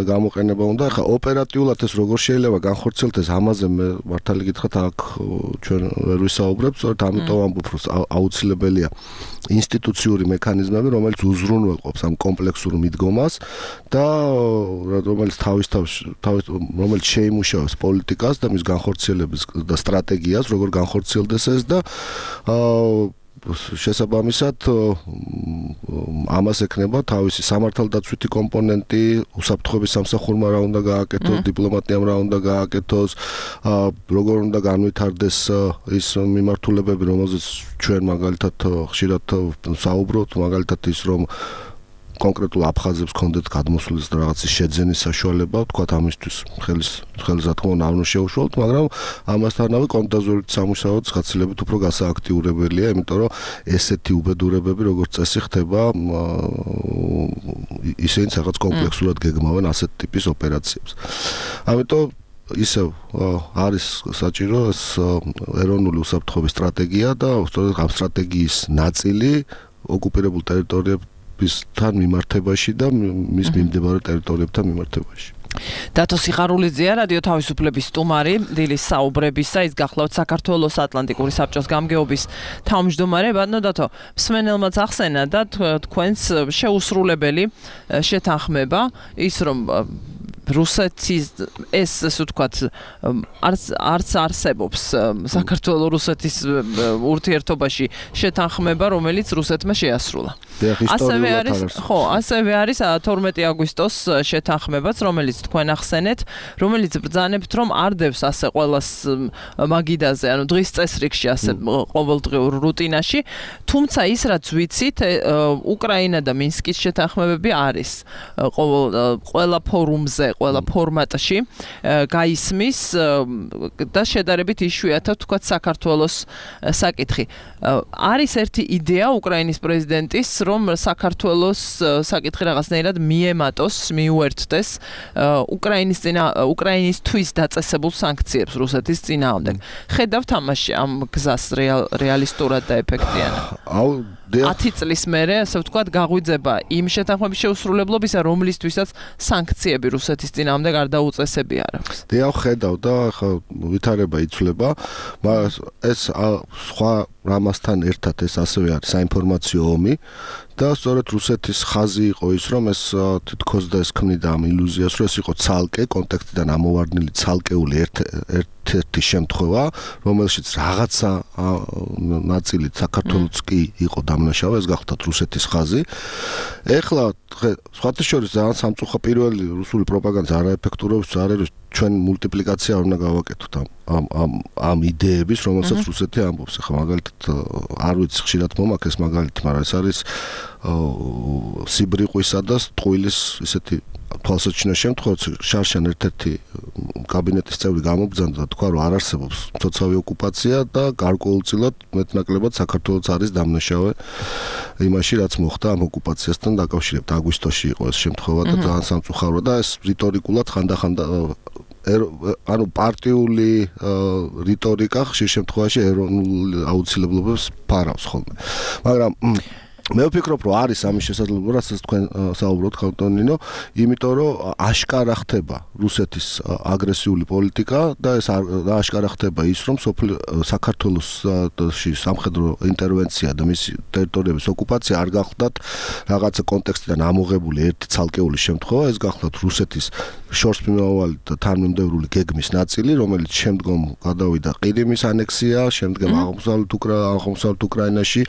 გამოყენება უნდა ხა ოპერატიულად ეს როგორ შეიძლება განხორციელდეს ამაზე მე მართალი გითხრათ აქ ჩვენ ვერ ვისაუბრებთ სწორედ ამიტომ ამბობ რომ აუცილებელია ინსტიტუციური მექანიზმები რომელიც უზრუნველყოფს ამ კომპლექსურ მიდგომას და რომელიც თავის თავის რომელიც შეიმუშავებს პოლიტიკას და მის განხორციელების და სტრატეგიას როგორ განხორციელდეს ეს და შესაბამისად ამას ექნება თავისი სამართალდაცვითი კომპონენტი, უსაფრთხოების სამსახურმა რა უნდა გააკეთოს, დიპლომატიამ რა უნდა გააკეთოს, როგორ უნდა განვითარდეს ის მიმართულებები, რომელზეც ჩვენ მაგალითად ხშირად საუბრობთ, მაგალითად ის რომ კონკრეტულ აფხაზებს კონდეთ გადმოსulis და რაღაცის შეძენის საშუალება, თქვათ ამისთვის ხელის ხელს რა თქმა უნდა არ უნდა შეუშუალოთ, მაგრამ ამასთანავე კონტაზურით სამუშაოც გაცილებით უფრო გასააქტიურებელია, იმიტომ რომ ესეთი უბედურებები როგორც წესი ხდება ისინი რაღაც კომპლექსურად გეგმავენ ასეთ ტიპის ოპერაციებს. ამიტომ ისევ არის საჭირო ეს ეროვნული უსაფრთხოების სტრატეგია და სწორედ ამ სტრატეგიის ნაწილი ოკუპირებულ ტერიტორიებს თან მიმართებაში და მის მიმდებარე ტერიტორიებთან მიმართებაში. დათო სიხარულიძეა რადიო თავისუფლების სტუმარი დილის საუბრებისა, ის გახლავთ საქართველოს ატლანტიკური საბჭოს გამგეობის თავმჯდომარე. ბატონო დათო, მსმენელმაც ახსენა და თქვენს შეუსრულებელი შეთანხმება ის რომ რუსეთის ეს ასე ვთქვათ არც არც არსებობს საქართველოს რუსეთის ურთიერთობაში შეთანხმება, რომელიც რუსეთმა შეასრულა. ასევე არის ხო, ასევე არის თორმეტი აგვისტოს შეთანხმებაც, რომელიც თქვენ ახსენეთ, რომელიც ბრძანებთ, რომ არ დევს ასე ყველას მაგიდაზე, ანუ დღის წესრიგში ასე ყოველდღიურ რუტინაში, თუმცა ის რაც ვიცით, უკრაინა და მინსკის შეთანხმებები არის ყველა ფორუმზე ყველა ფორმატში გაისმის და შედარებით იშვიათად თქვათ საქართველოს საკითხი. არის ერთი იდეა უკრაინის პრეზიდენტის, რომ საქართველოს საკითხი რაღაცნაირად მიემატოს, მიუერთდეს უკრაინის წინა უკრაინისთვის დაწესებულ სანქციებს რუსეთის წინააღმდეგ. ხედავთ ამაში ამ გზას რეალისტურად და ეფექტიანად? აუ ათი წლის მერე, ასე ვთქვათ, გაღვიძება იმ შეთანხმების შეუსრულებლობისა, რომლისთვისაც სანქციები რუსეთის წინააღმდეგ არ დაუწესები არ აქვს. დიახ, ხედავ და ახლა ვითარება იცვლება, მაგრამ ეს სხვა რამასთან ერთად ეს ასევე არის საინფორმაციო ომი და სწორედ რუსეთის ხაზი იყო ის, რომ ეს თითქოს და ეს ქმნიდა ამ ილუზიას, რომ ეს იყო ცალკე კონტექსტიდან ამოვარდნილი ცალკეული ერთ-ერთი შემთხვევა, რომელშიც რაღაცა ნაწილით საქართველოც კი იყო დამნაშავე, ეს გახლავთ რუსეთის ხაზი. ეხლა სხვათა შორის ძალიან სამწუხო პირველი რუსული პროპაგანდა არაეფექტურობს, არის ჩვენ მულტიპლიკაცია უნდა გავაკეთოთ ამ ამ ამ იდეების, რომელსაც რუსეთი ამბობს. ახლა მაგალითად არ ვიცი ხშირად მომაქეს მაგალითი, მაგრამ ეს არის სიბრიყვისა და ტყუილის ისეთი თვალსაჩინო შემთხვევა, შარშან ერთ-ერთი კაბინეტის წევრი გამობრძანდა და თქვა, რომ არ არსებობს მცოცავი ოკუპაცია და გარკვეულწილად მეტნაკლებად საქართველოს არის დამნაშავე იმაში, რაც მოხდა ამ ოკუპაციასთან დაკავშირებით. აგვისტოში იყო ეს შემთხვევა და ძალიან სამწუხაროა და ეს რიტორიკულად ხანდახანდა ანუ პარტიული რიტორიკა ხშირ შემთხვევაში ეროვნულ აუცილებლობებს ფარავს ხოლმე. მაგრამ მე ვფიქრობ, რომ არის ამის შესაძლებლობა, რასაც თქვენ საუბრობთ, ხალხონინო, იმიტომ რომ აშკარა ხდება რუსეთის აგრესიული პოლიტიკა და ეს აშკარა ხდება ის, რომ საქართველოსში სამხედრო ინტერვენცია და მისი ტერიტორიების ოკუპაცია არ გახლდათ რაღაცა კონტექსტიდან ამოღებული ერთი ცალკეული შემთხვევა, ეს გახლდათ რუსეთის შორს მიმავალი და თანმიმდევრული გეგმის ნაწილი, რომელიც შემდგომ გადავიდა ყირიმის ანექსია, შემდგომ აღმოსავლეთ უკრაინაში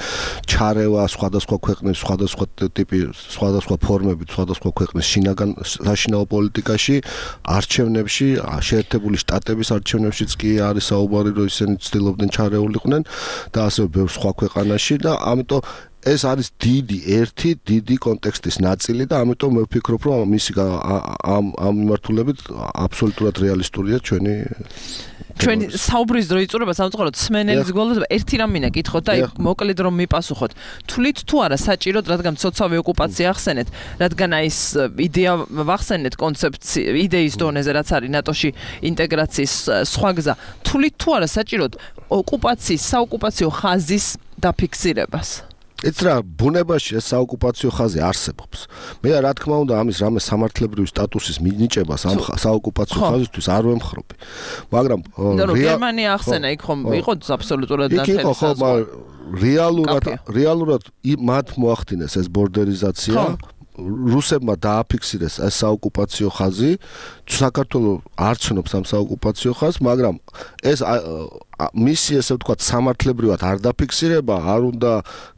ჩარევა სხვადასხვა ქვეყნის სხვადასხვა ტიპი, სხვადასხვა ფორმებით, სხვადასხვა ქვეყნის შინაგან საშინაო პოლიტიკაში, არჩევნებში, შეერთებული შტატების არჩევნებშიც კი არის საუბარი, რომ ისინი ცდილობდნენ ჩარეულიყვნენ და ასევე ბევრ სხვა ქვეყანაში და ამიტომ ეს არის დიდი ერთი დიდი კონტექსტის ნაწილი და ამიტომ მე ვფიქრობ, რომ მისი ამ ამ მიმართულებით აბსოლუტურად რეალისტურია ჩვენი ჩვენი საუბრის დრო იწურება სამწუხაროდ სმენელის გოლდება ერთი რამ მინდა კითხოთ და აი მოკლედ რომ მიპასუხოთ. თვლით თუ არა საჭიროდ, რადგან მცოცავი ოკუპაცია ახსენეთ, რადგან აი ეს იდეა ვახსენეთ კონცეფცია იდეის დონეზე რაც არის ნატოში ინტეგრაციის სხვა გზა. თვლით თუ არა საჭიროდ ოკუპაციის საოკუპაციო ხაზის დაფიქსირებას? ეს რა ბუნებაში ეს საოკუპაციო ხაზი არსებობს. მე რა თქმა უნდა ამის რამე სამართლებრივი სტატუსის მინიჭებას ამ საოკუპაციო ხაზისთვის არ ვემხრობი. მაგრამ გერმანია ახსენა იქ ხომ იყო აბსოლუტურად ნათელი საზღვარი. რეალურად რეალურად მათ მოახდინეს ეს ბორდერიზაცია რუსებმა დააფიქსირეს ეს საოკუპაციო ხაზი, საქართველოს არ ცნობს ამ საოკუპაციო ხაზს, მაგრამ ეს მისი ესე ვთქვათ სამართლებრივად არ დაფიქსირება, არ უნდა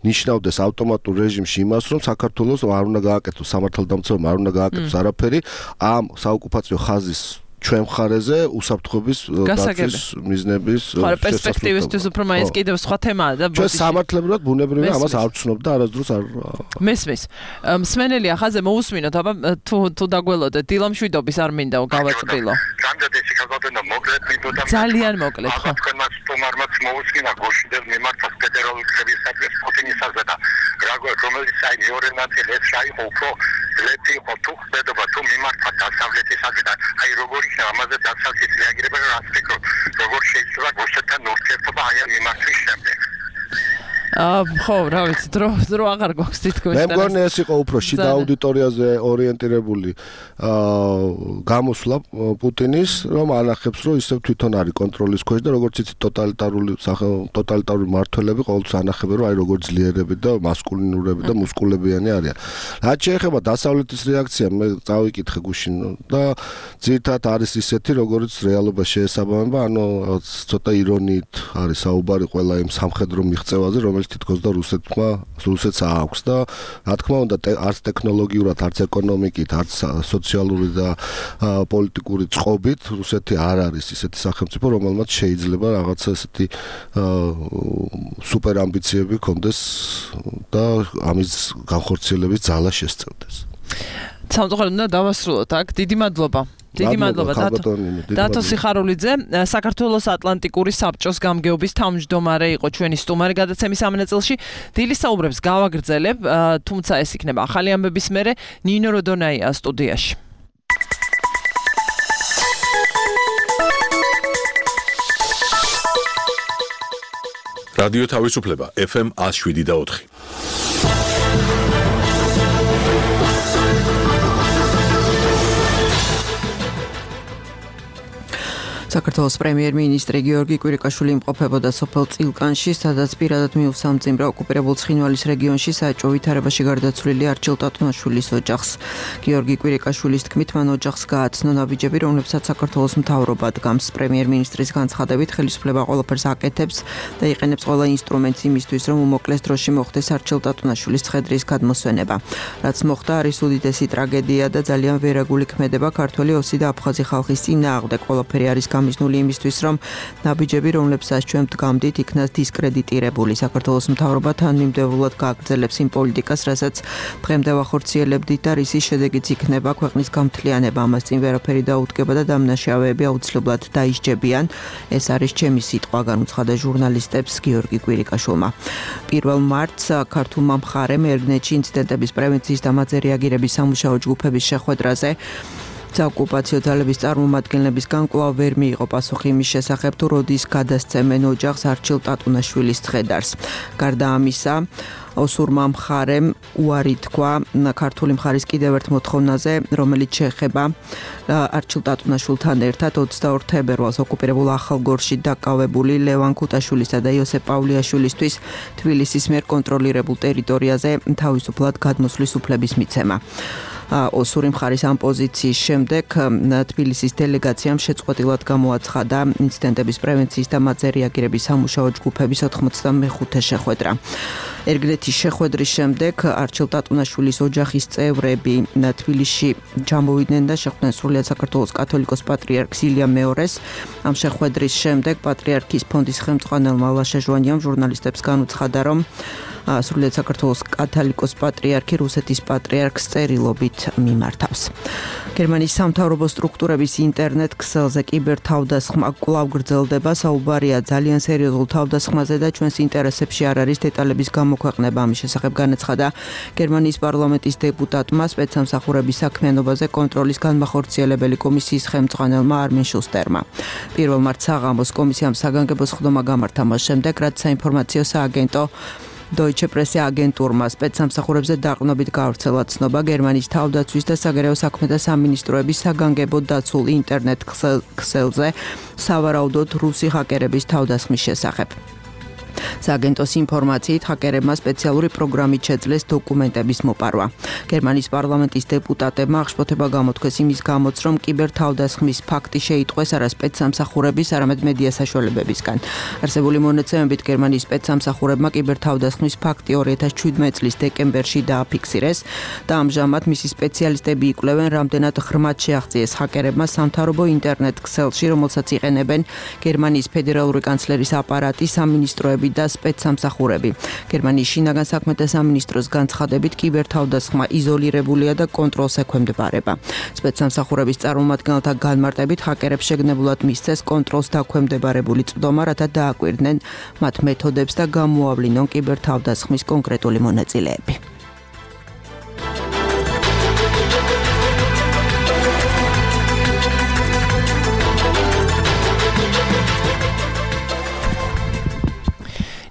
ნიშნავდეს ავტომატურ რეჟიმში იმას, რომ საქართველოს არ უნდა გააკეთოს სამართალდამცავმა, არ უნდა გააკეთოს არაფერი ამ საოკუპაციო ხაზის ჩვენ მხარეზე უსაფრთხოების დაცვის მიზნების შესაძლებლად. პერსპექტივისთვის უფრო მაინც კიდევ სხვა თემაა და ჩვენ სამართლებრივად ბუნებრივია ამას არ ვცნობ და არასდროს არ მესმის. მსმენელია ხაზე მოусმინოთ, აბა თუ თუ დაგველოდეთ დილამშვიდობის არ მინდა გავაწყბილო. რამდენი სიკალოდენა მოკლედ მინდოდა ძალიან მოკლედ ხო. თქვენმა სტუმარმა მოусმინა გოშიდელ მიმართავს ფედერალური კრებისადმი პუტინისაზე და რომელიც აი მეორე ნაწილი ეს საერთო უფრო ლეთი იყო თუ ხდება თუ მიმართა დასავლეთისადმი და აი როგორი ამაზე დასავლეთის რეაგირება რა ფიქრობ როგორ შეიძლება გუშეთთან ურთიერთობა აი ამ მიმართვის შემდეგ აა ხო რა ვიცი დრო დრო აღარ გვაქვს თითქოს მე მგონი ეს იყო უფრო შიდა აუდიტორიაზე ორიენტირებული აა გამოსვლა პუტინის რომ ანახებს რომ ისევ თვითონ არის კონტროლის ქვეშ და როგორც იცით ტოტალიტარული ტოტალიტარული მმართველები ყოველთვის ანახებენ რომ აი როგორ ძლიერები და მასკულინურები და მუსკულებიანი არიან რაც შეეხება დასავლეთის რეაქცია მე წავიკითხე გუშინ და ძირთად არის ისეთი როგორც რეალობა შეესაბამება ანუ ცოტა ირონიით არის საუბარი ყველა იმ სამხედრო მიღწევაზე რომელიც თითქოს და რუსეთმა რუსეთს აქვს და რა თქმა უნდა არც ტექნოლოგიურად არც ეკონომიკით არც სოციალური და პოლიტიკური წყობით რუსეთი არ არის ისეთი სახელმწიფო რომელმაც შეიძლება რაღაცა ესეთი სუპერ ამბიციები ჰქონდეს და ამის განხორციელების ძალა შესწევდეს. სამწუხაროდ უნდა დავასრულოთ აქ. დიდი მადლობა. დიდი მადლობა დათო სიხარულიძე, საქართველოს ატლანტიკური საბჭოს გამგეობის თავმჯდომარე იყო ჩვენი სტუმარი გადაცემის ამ ნაწილში. დილის საუბრებს გავაგრძელებ, თუმცა ეს იქნება ახალი ამბების მერე. ნინო როდონაია სტუდიაში. რადიო თავისუფლება ეფ ემ one oh seven და four. საქართველოს პრემიერ-მინისტრი გიორგი კვირიკაშვილი იმყოფებოდა სოფელ წილკანში, სადაც პირადად მიუსამძიმრა ოკუპირებულ ცხინვალის რეგიონში საეჭვო ვითარებაში გარდაცვლილი არჩილ ტატუნაშვილის ოჯახს. გიორგი კვირიკაშვილის თქმით, მან ოჯახს გააცნო ნაბიჯები, რომლებსაც საქართველოს მთავრობა დგამს. პრემიერ-მინისტრის განცხადებით, ხელისუფლება ყველაფერს აკეთებს და იყენებს ყველა ინსტრუმენტს იმისთვის, რომ უმოკლეს დროში მოხდეს არჩილ ტატუნაშვილის ცხედრის გადმოსვენება. რაც მოხდა, არის უდიდესი ტრაგედია და ძალიან ვერაგული ქმედება ქართველი ოსი და აფხაზი ხალხის წინააღმდეგ. ყველაფერი არის გამიზნული იმისთვის, რომ ნაბიჯები, რომლებსაც ჩვენ ვდგამდით, იქნას დისკრედიტირებული. საქართველოს მთავრობა თანმიმდევრულად გააგრძელებს იმ პოლიტიკას, რასაც დღემდე ვახორციელებდით და რისის შედეგიც იქნება ქვეყნის გამთლიანება. ამას წინ ვერაფერი დაუდგება და დამნაშავეები აუცილებლად დაისჯებიან. ეს არის ჩემი სიტყვა, განუცხადა ჟურნალისტებს გიორგი კვირიკაშვილმა. პირველ მარტს ქართულმა მხარემ ერგნეთში ინციდენტების პრევენციის და მათზე რეაგირების სამუშაო ჯგუფების შეხვედრაზე საოკუპაციო ძალების წარმომადგენლებისგან კვლავ ვერ მიიღო პასუხი იმის შესახებ, თუ როდის გადასცემენ ოჯახს არჩილ ტატუნაშვილის ცხედარს. გარდა ამისა, ოსურმა მხარემ უარი თქვა ქართული მხარის კიდევ ერთ მოთხოვნაზე, რომელიც შეეხება არჩილ ტატუნაშვილთან ერთად ოცდაორ თებერვალს ოკუპირებულ ახალგორში დაკავებული ლევან ქუტაშვილისა და იოსებ პავლიაშვილისთვის თბილისის მიერ კონტროლირებულ ტერიტორიაზე თავისუფლად გადმოსვლის უფლების მიცემა. ოსური მხარის ამ პოზიციის შემდეგ თბილისის დელეგაციამ შეწყვეტილად გამოაცხადა ინციდენტების პრევენციის და მათზე რეაგირების სამუშაო ჯგუფების ოცდამეხუთე შეხვედრა. ერგნეთის შეხვედრის შემდეგ არჩილ ტატუნაშვილის ოჯახის წევრები თბილისში ჩამოვიდნენ და შეხვდნენ სრულიად საქართველოს კათოლიკოს პატრიარქს ილია მეორეს. ამ შეხვედრის შემდეგ პატრიარქის ფონდის ხელმძღვანელმა ლაშა ჟვანიამ ჟურნალისტებს განუცხადა, რომ სრულიად საქართველოს კათოლიკოს პატრიარქი რუსეთის პატრიარქს წერილობით მიმართავს. გერმანიის სამთავრობო სტრუქტურების ინტერნეტ ქსელზე კიბერთავდასხმა კვლავ გრძელდება. საუბარია ძალიან სერიოზულ თავდასხმაზე და ჩვენს ინტერესებში არ არის დეტალების გამოქვეყნება. ამის შესახებ განაცხადა გერმანიის პარლამენტის დეპუტატმა სპეცსამსახურების საქმიანობაზე კონტროლის განმახორციელებელი კომისიის ხელმძღვანელმა არმენ შუსტერმა. პირველ მარტს საღამოს კომისიამ საგანგებო სხდომა გამართა მას შემდეგ, რაც საინფორმაციო სააგენტო Deutsche Presse აგენტურმა სპეცსამსახურებზე დაყრდნობით გავრცელა ცნობა გერმანიის თავდაცვის და საგარეო საქმეთა სამინისტროების საგანგებო დაცულ ინტერნეტ ქსელზე სავარაუდოდ რუსი ჰაკერების თავდასხმის შესახებ. სააგენტოს ინფორმაციით, ჰაკერებმა სპეციალური პროგრამით შეძლეს დოკუმენტების მოპარვა. გერმანიის პარლამენტის დეპუტატებმა აღშფოთება გამოთქვეს იმის გამოც, რომ კიბერთავდასხმის ფაქტი შეიტყვეს არა სპეცსამსახურების, არამედ მედია საშუალებებისგან. არსებული მონაცემებით გერმანიის სპეცსამსახურებმა კიბერთავდასხმის ფაქტი ორი ათას შვიდმეტი წლის დეკემბერში დააფიქსირეს და ამჟამად მისი სპეციალისტები იკვლევენ, რამდენად ღრმად შეაღწიეს ჰაკერებმა სამთავრობო ინტერნეტ ქსელში, რომელსაც იყენებენ გერმანიის ფედერალური კანცლერის აპარატი, სამინისტროები და სპეცსამსახურები. გერმანიის შინაგან საქმეთა სამინისტროს განცხადებით კიბერთავდასხმა იზოლირებულია და კონტროლს ექვემდებარება. სპეცსამსახურების წარმომადგენელთა განმარტებით ჰაკერებს შეგნებულად მისცეს კონტროლს დაქვემდებარებული წვდომა, რათა დააკვირდნენ მათ მეთოდებს და გამოავლინონ კიბერთავდასხმის კონკრეტული მონაწილეები.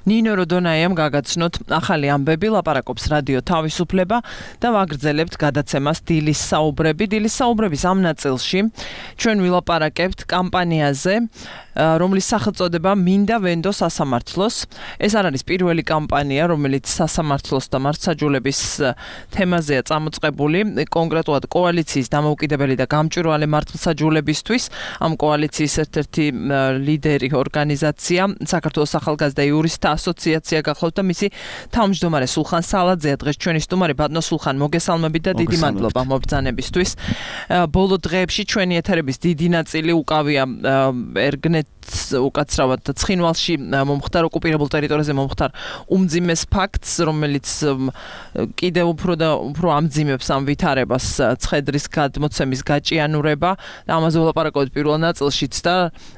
ნინო როდონაიამ გაგაცნოთ ახალი ამბები, ლაპარაკობს რადიო თავისუფლება და ვაგრძელებთ გადაცემას დილის საუბრები. დილის საუბრების ამ ნაწილში ჩვენ ვილაპარაკებთ კამპანიაზე, რომლის სახელწოდება მინდა ვენდო სასამართლოს. ეს არ არის პირველი კამპანია, რომელიც სასამართლოს და მართლმსაჯულების თემაზეა წამოწყებული, კონკრეტულად კოალიციის დამოუკიდებელი და გამჭვირვალე მართლმსაჯულებისთვის. ამ კოალიციის ერთ-ერთი ლიდერი ორგანიზაცია საქართველოს ახალგაზრდა იურისტთა ასოციაცია გახლავთ და მისი თავმჯდომარე სულხან სალაძეა დღეს ჩვენი სტუმარი. ბატონო სულხან, მოგესალმებით და დიდი მადლობა მობრძანებისთვის. ბოლო დღეებში ჩვენი ეთერების დიდი ნაწილი უკავია ერგნეთ უკაცრავად ცხინვალში მომხდარ ოკუპირებულ ტერიტორიაზე მომხდარ უმძიმეს ფაქტს, რომელიც კიდევ უფრო და უფრო ამძიმებს ამ ვითარებას ცხედრის გადმოცემის გაჭიანურება და ამაზე ვლაპარაკობთ პირველ ნაწილშიც და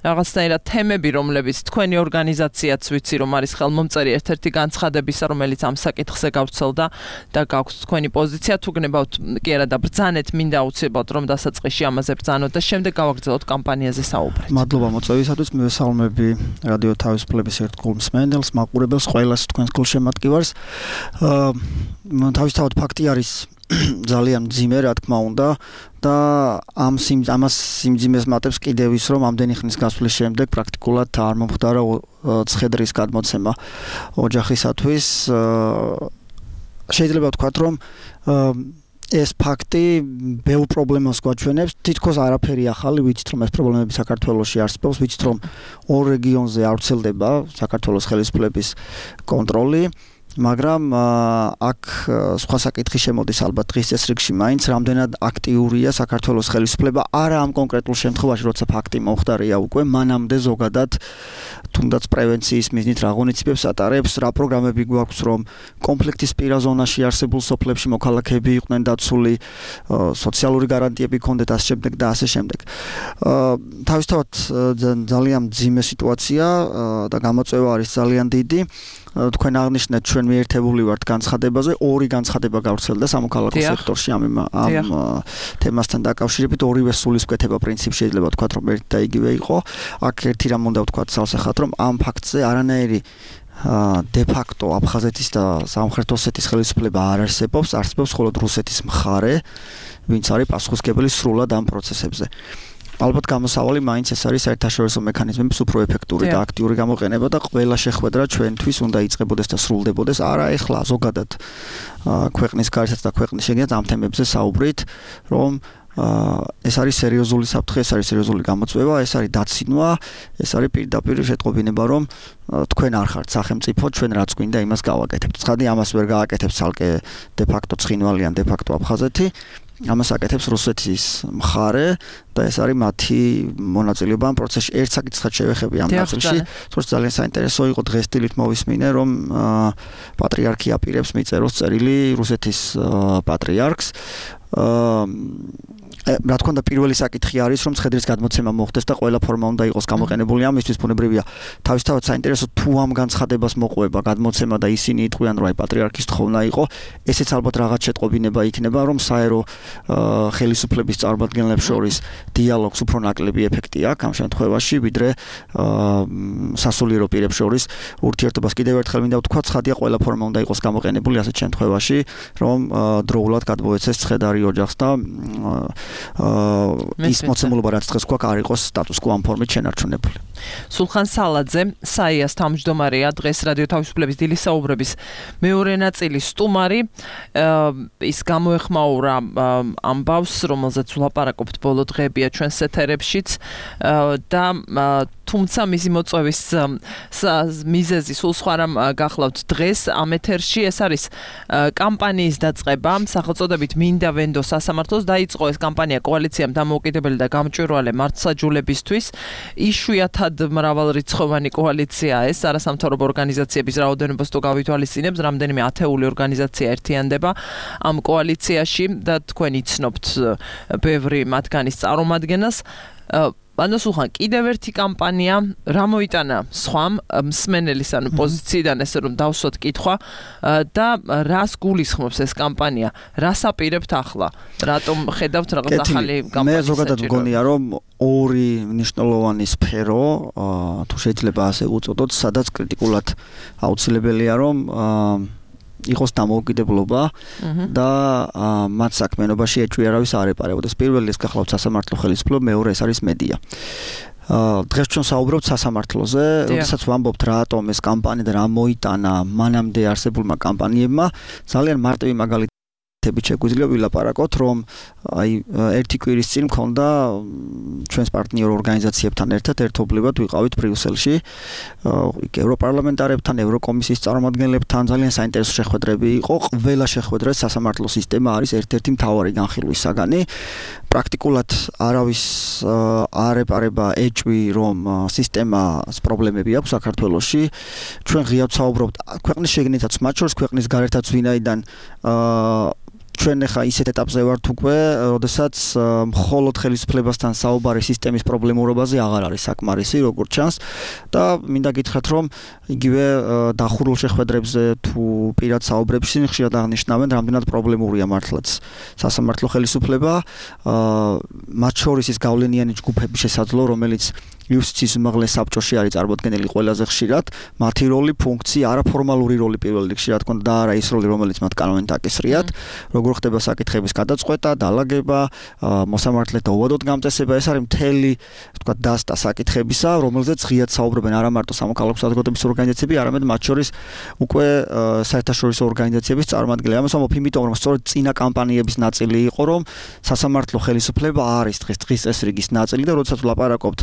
რაღაცნაირად თემები, რომლებიც თქვენი ორგანიზაციაც ვიცი რომ არის ხელმომწერი ერთ-ერთი განცხადებისა, რომელიც ამ საკითხზე გავრცელდა და გაქვთ თქვენი პოზიცია. თუ გნებავთ კი არა და ბრძანეთ, მინდა აუცილებლად რომ დასაწყისში ამაზე ბრძანოთ და შემდეგ გავაგრძელოთ კამპანიაზე საუბრით. მადლობა მოწვევისათვის. მივესალმები რადიო თავისუფლების ერთგულ მსმენელს, მაყურებელს, ყველას თქვენს გულშემატკივარს. თავისთავად ფაქტი არის ძალიან მძიმე, რა თქმა უნდა, და ამ ამას სიმძიმეს მატებს კიდევ ის, რომ ამდენი ხნის გასვლის შემდეგ პრაქტიკულად არ მომხდარა ცხედრის გადმოცემა ოჯახისათვის. შეიძლება ვთქვათ, რომ ეს ფაქტი ბევრ პრობლემას გვაჩვენებს. თითქოს არაფერი ახალი, ვიცით რომ ეს პრობლემები საქართველოში არსებობს, ვიცით რომ ორ რეგიონზე არ ვრცელდება საქართველოს ხელისუფლების კონტროლი, მაგრამ აქ სხვა საკითხი შემოდის ალბათ დღის წესრიგში, მაინც რამდენად აქტიურია საქართველოს ხელისუფლება, არა ამ კონკრეტულ შემთხვევაში, როცა ფაქტი მომხდარია უკვე, მანამდე ზოგადად თუნდაც პრევენციის მიზნით რა ღონისძიებებს ატარებს, რა პროგრამები გვაქვს, რომ კონფლიქტის პირა ზონაში არსებულ სოფლებში მოქალაქეები იყვნენ დაცული, სოციალური გარანტიები ჰქონდეთ ასე შემდეგ და ასე შემდეგ. თავისთავად ძალიან მძიმე სიტუაცია და გამოწვევა არის ძალიან დიდი. თქვენ აღნიშნეთ, ჩვენ მიერთებული ვართ განცხადებაზე, ორი განცხადება გავრცელდა სამოქალაქო სექტორში ამ ამ თემასთან დაკავშირებით, ორივე სულისკვეთება პრინციპი შეიძლება ვთქვათ, რომ ერთი და იგივე იყო. აქ ერთი რამ უნდა ვთქვათ სავსახად, რომ ამ ფაქტზე არანაირი de facto აფხაზეთის და სამხრეთ ოსეთის ხელისუფლება არ არსებობს, არსებობს მხოლოდ რუსეთის მხარე, ვინც არის პასუხისმგებელი სრულად ამ პროცესებზე. ალბათ გამოსავალი მაინც ეს არის საერთაშორისო მექანიზმების უფრო ეფექტური და აქტიური გამოყენება და ყველა შეხვედრა ჩვენთვის უნდა იწყებოდეს და სრულდებოდეს არა ეხლა ზოგადად ქვეყნის გარშემო და ქვეყნის შეგნით ამ თემებზე საუბრით, რომ ეს არის სერიოზული საფრთხე, ეს არის სერიოზული გამოწვევა, ეს არის დაცინვა, ეს არის პირდაპირ შეტყობინება, რომ თქვენ არ ხართ სახელმწიფო, ჩვენ რაც გვინდა იმას გავაკეთებთ. ცხადი ამას ვერ გააკეთებს ცალკე de facto ცხინვალი ან de facto აფხაზეთი. ამას აკეთებს რუსეთის მხარე და ეს არის მათი მონაწილეობა ამ პროცესში. ერთ საკითხად შევეხები ამ ნაწილში, თორემ ძალიან საინტერესო იყო დღეს დილით მოვისმინე, რომ პატრიარქი აპირებს მიწეროს წერილი რუსეთის პატრიარქს. რა თქმა უნდა პირველი საკითხი არის, რომ ცხედრის გადმოცემა მოხდეს და ყველა ფორმა უნდა იყოს გამოყენებული ამისთვის, ბუნებრივია. თავისთავად საინტერესო თუ ამ განცხადებას მოყვება გადმოცემა და ისინი იტყვიან, რომ აი პატრიარქის თხოვნა იყო, ესეც ალბათ რაღაც შეტყობინება იქნება, რომ საერო ხელისუფლების წარმომადგენლებს შორის დიალოგს უფრო ნაკლები ეფექტი აქვს ამ შემთხვევაში, ვიდრე სასულიერო პირებს შორის ურთიერთობას. კიდევ ერთხელ მინდა ვთქვა, ცხადია ყველა ფორმა უნდა იყოს გამოყენებული ასეთ შემთხვევაში, რომ დროულად გადმოეცეს ცხედარი ოჯახს და ის მოცემულობა რაც დღეს გვაქვს არ იყოს სტატუს კო ამ ფორმით შენარჩუნებული. სულხან სალაძე, საიას თავმჯდომარეა, დღეს რადიო თავისუფლების დილის საუბრების მეორე ნაწილის სტუმარი. ის გამოეხმაურა ამბავს, რომელზეც ვლაპარაკობთ ბოლო დღეებია ჩვენს ეთერებშიც და თუმცა მისი მოწვევის მიზეზი სულ სხვა რამ გახლავთ დღეს ამ ეთერში. ეს არის კამპანიის დაწყება, სახელწოდებით მინდა ვენდო სასამართლოს. დაიწყო ეს კამპანია კოალიციამ დამოუკიდებელი და გამჭვირვალე მართლმსაჯულებისთვის. იშვიათად მრავალრიცხოვანი კოალიციაა ეს, არასამთავრობო ორგანიზაციების რაოდენობას თუ გავითვალისწინებთ, რამდენიმე ათეული ორგანიზაცია ერთიანდება ამ კოალიციაში და თქვენ იცნობთ ბევრი მათგანის წარმომადგენელს. ანუ სულხან, კიდევ ერთი კამპანია, რა მოიტანა სხვამ მსმენელის ანუ პოზიციიდან, ესე რომ დავსვათ კითხვა და რას გულისხმობს ეს კამპანია? რას აპირებთ ახლა? რატომ ხედავთ რაღაც ახალი კამპანიის? მე ზოგადად მგონია, რომ ორი მნიშვნელოვანი სფერო, თუ შეიძლება ასე უწოდოთ, სადაც კრიტიკულად აუცილებელია, რომ იყოს დამოუკიდებლობა და მათ საქმიანობაში ეჭვი არავის არ ეპარებოდეს. პირველი ეს გახლავთ სასამართლო ხელისუფლება, მეორე ეს არის მედია. დღეს ჩვენ საუბრობთ სასამართლოზე, როდესაც ვამბობთ რატომ ეს კამპანია და რა მოიტანა მანამდე არსებულმა კამპანიებმა, ძალიან მარტივი მაგალითი შეგვიძლია ვილაპარაკოთ, რომ აი ერთი კვირის წინ მქონდა ჩვენს პარტნიორ ორგანიზაციებთან ერთად ერთობლივად ვიყავით ბრიუსელში, ევროპარლამენტარებთან, ევროკომისიის წარმომადგენლებთან, ძალიან საინტერესო შეხვედრები იყო. ყველა შეხვედრას სასამართლო სისტემა არის ერთ-ერთი მთავარი განხილვის საგანი. პრაქტიკულად არავის არ ეპარება ეჭვი, რომ სისტემას პრობლემები აქვს საქართველოში. ჩვენ ღიად საუბრობთ ქვეყნის შეგნითაც, მათ შორის ქვეყნის გარეთაც, ვინაიდან ჩვენ ახლა ისეთ ეტაპზე ვართ უკვე, როდესაც მხოლოდ ხელისუფლებასთან საუბარი სისტემის პრობლემურობაზე აღარ არის საკმარისი, როგორც ჩანს და მინდა გითხრათ, რომ იგივე დახურულ შეხვედრებზე თუ პირად საუბრებში ხშირად აღნიშნავენ, რამდენად პრობლემურია მართლაც სასამართლო ხელისუფლება, მათ შორის ის გავლენიანი ჯგუფების შესაძლო, რომელიც იუსტიციის უმაღლეს საბჭოში არის წარმოდგენილი ყველაზე ხშირად, მათი როლი, ფუნქცია, არაფორმალური როლი პირველ რიგში, რა თქმა უნდა, და არა ის როლი, რომელიც მათ კანონით აკისრიათ, როგორ ხდება საკითხების გადაწყვეტა, დალაგება, მოსამართლეთა უვადოდ გამწესება, ეს არის მთელი, თქვა, დასტა საკითხებისა, რომელზეც ღიად საუბრობენ არა მარტო სამოქალაქო საზოგადოების ორგანიზაციები, არამედ მათ შორის უკვე საერთაშორისო ორგანიზაციების წარმომადგენლები. ამას ვამბობ იმიტომ, რომ სწორედ წინა კამპანიების ნაწილი იყო, რომ სასამართლო ხელისუფლება არის დღეს დღის წესრიგის ნაწილი და როდესაც ვლაპარაკობთ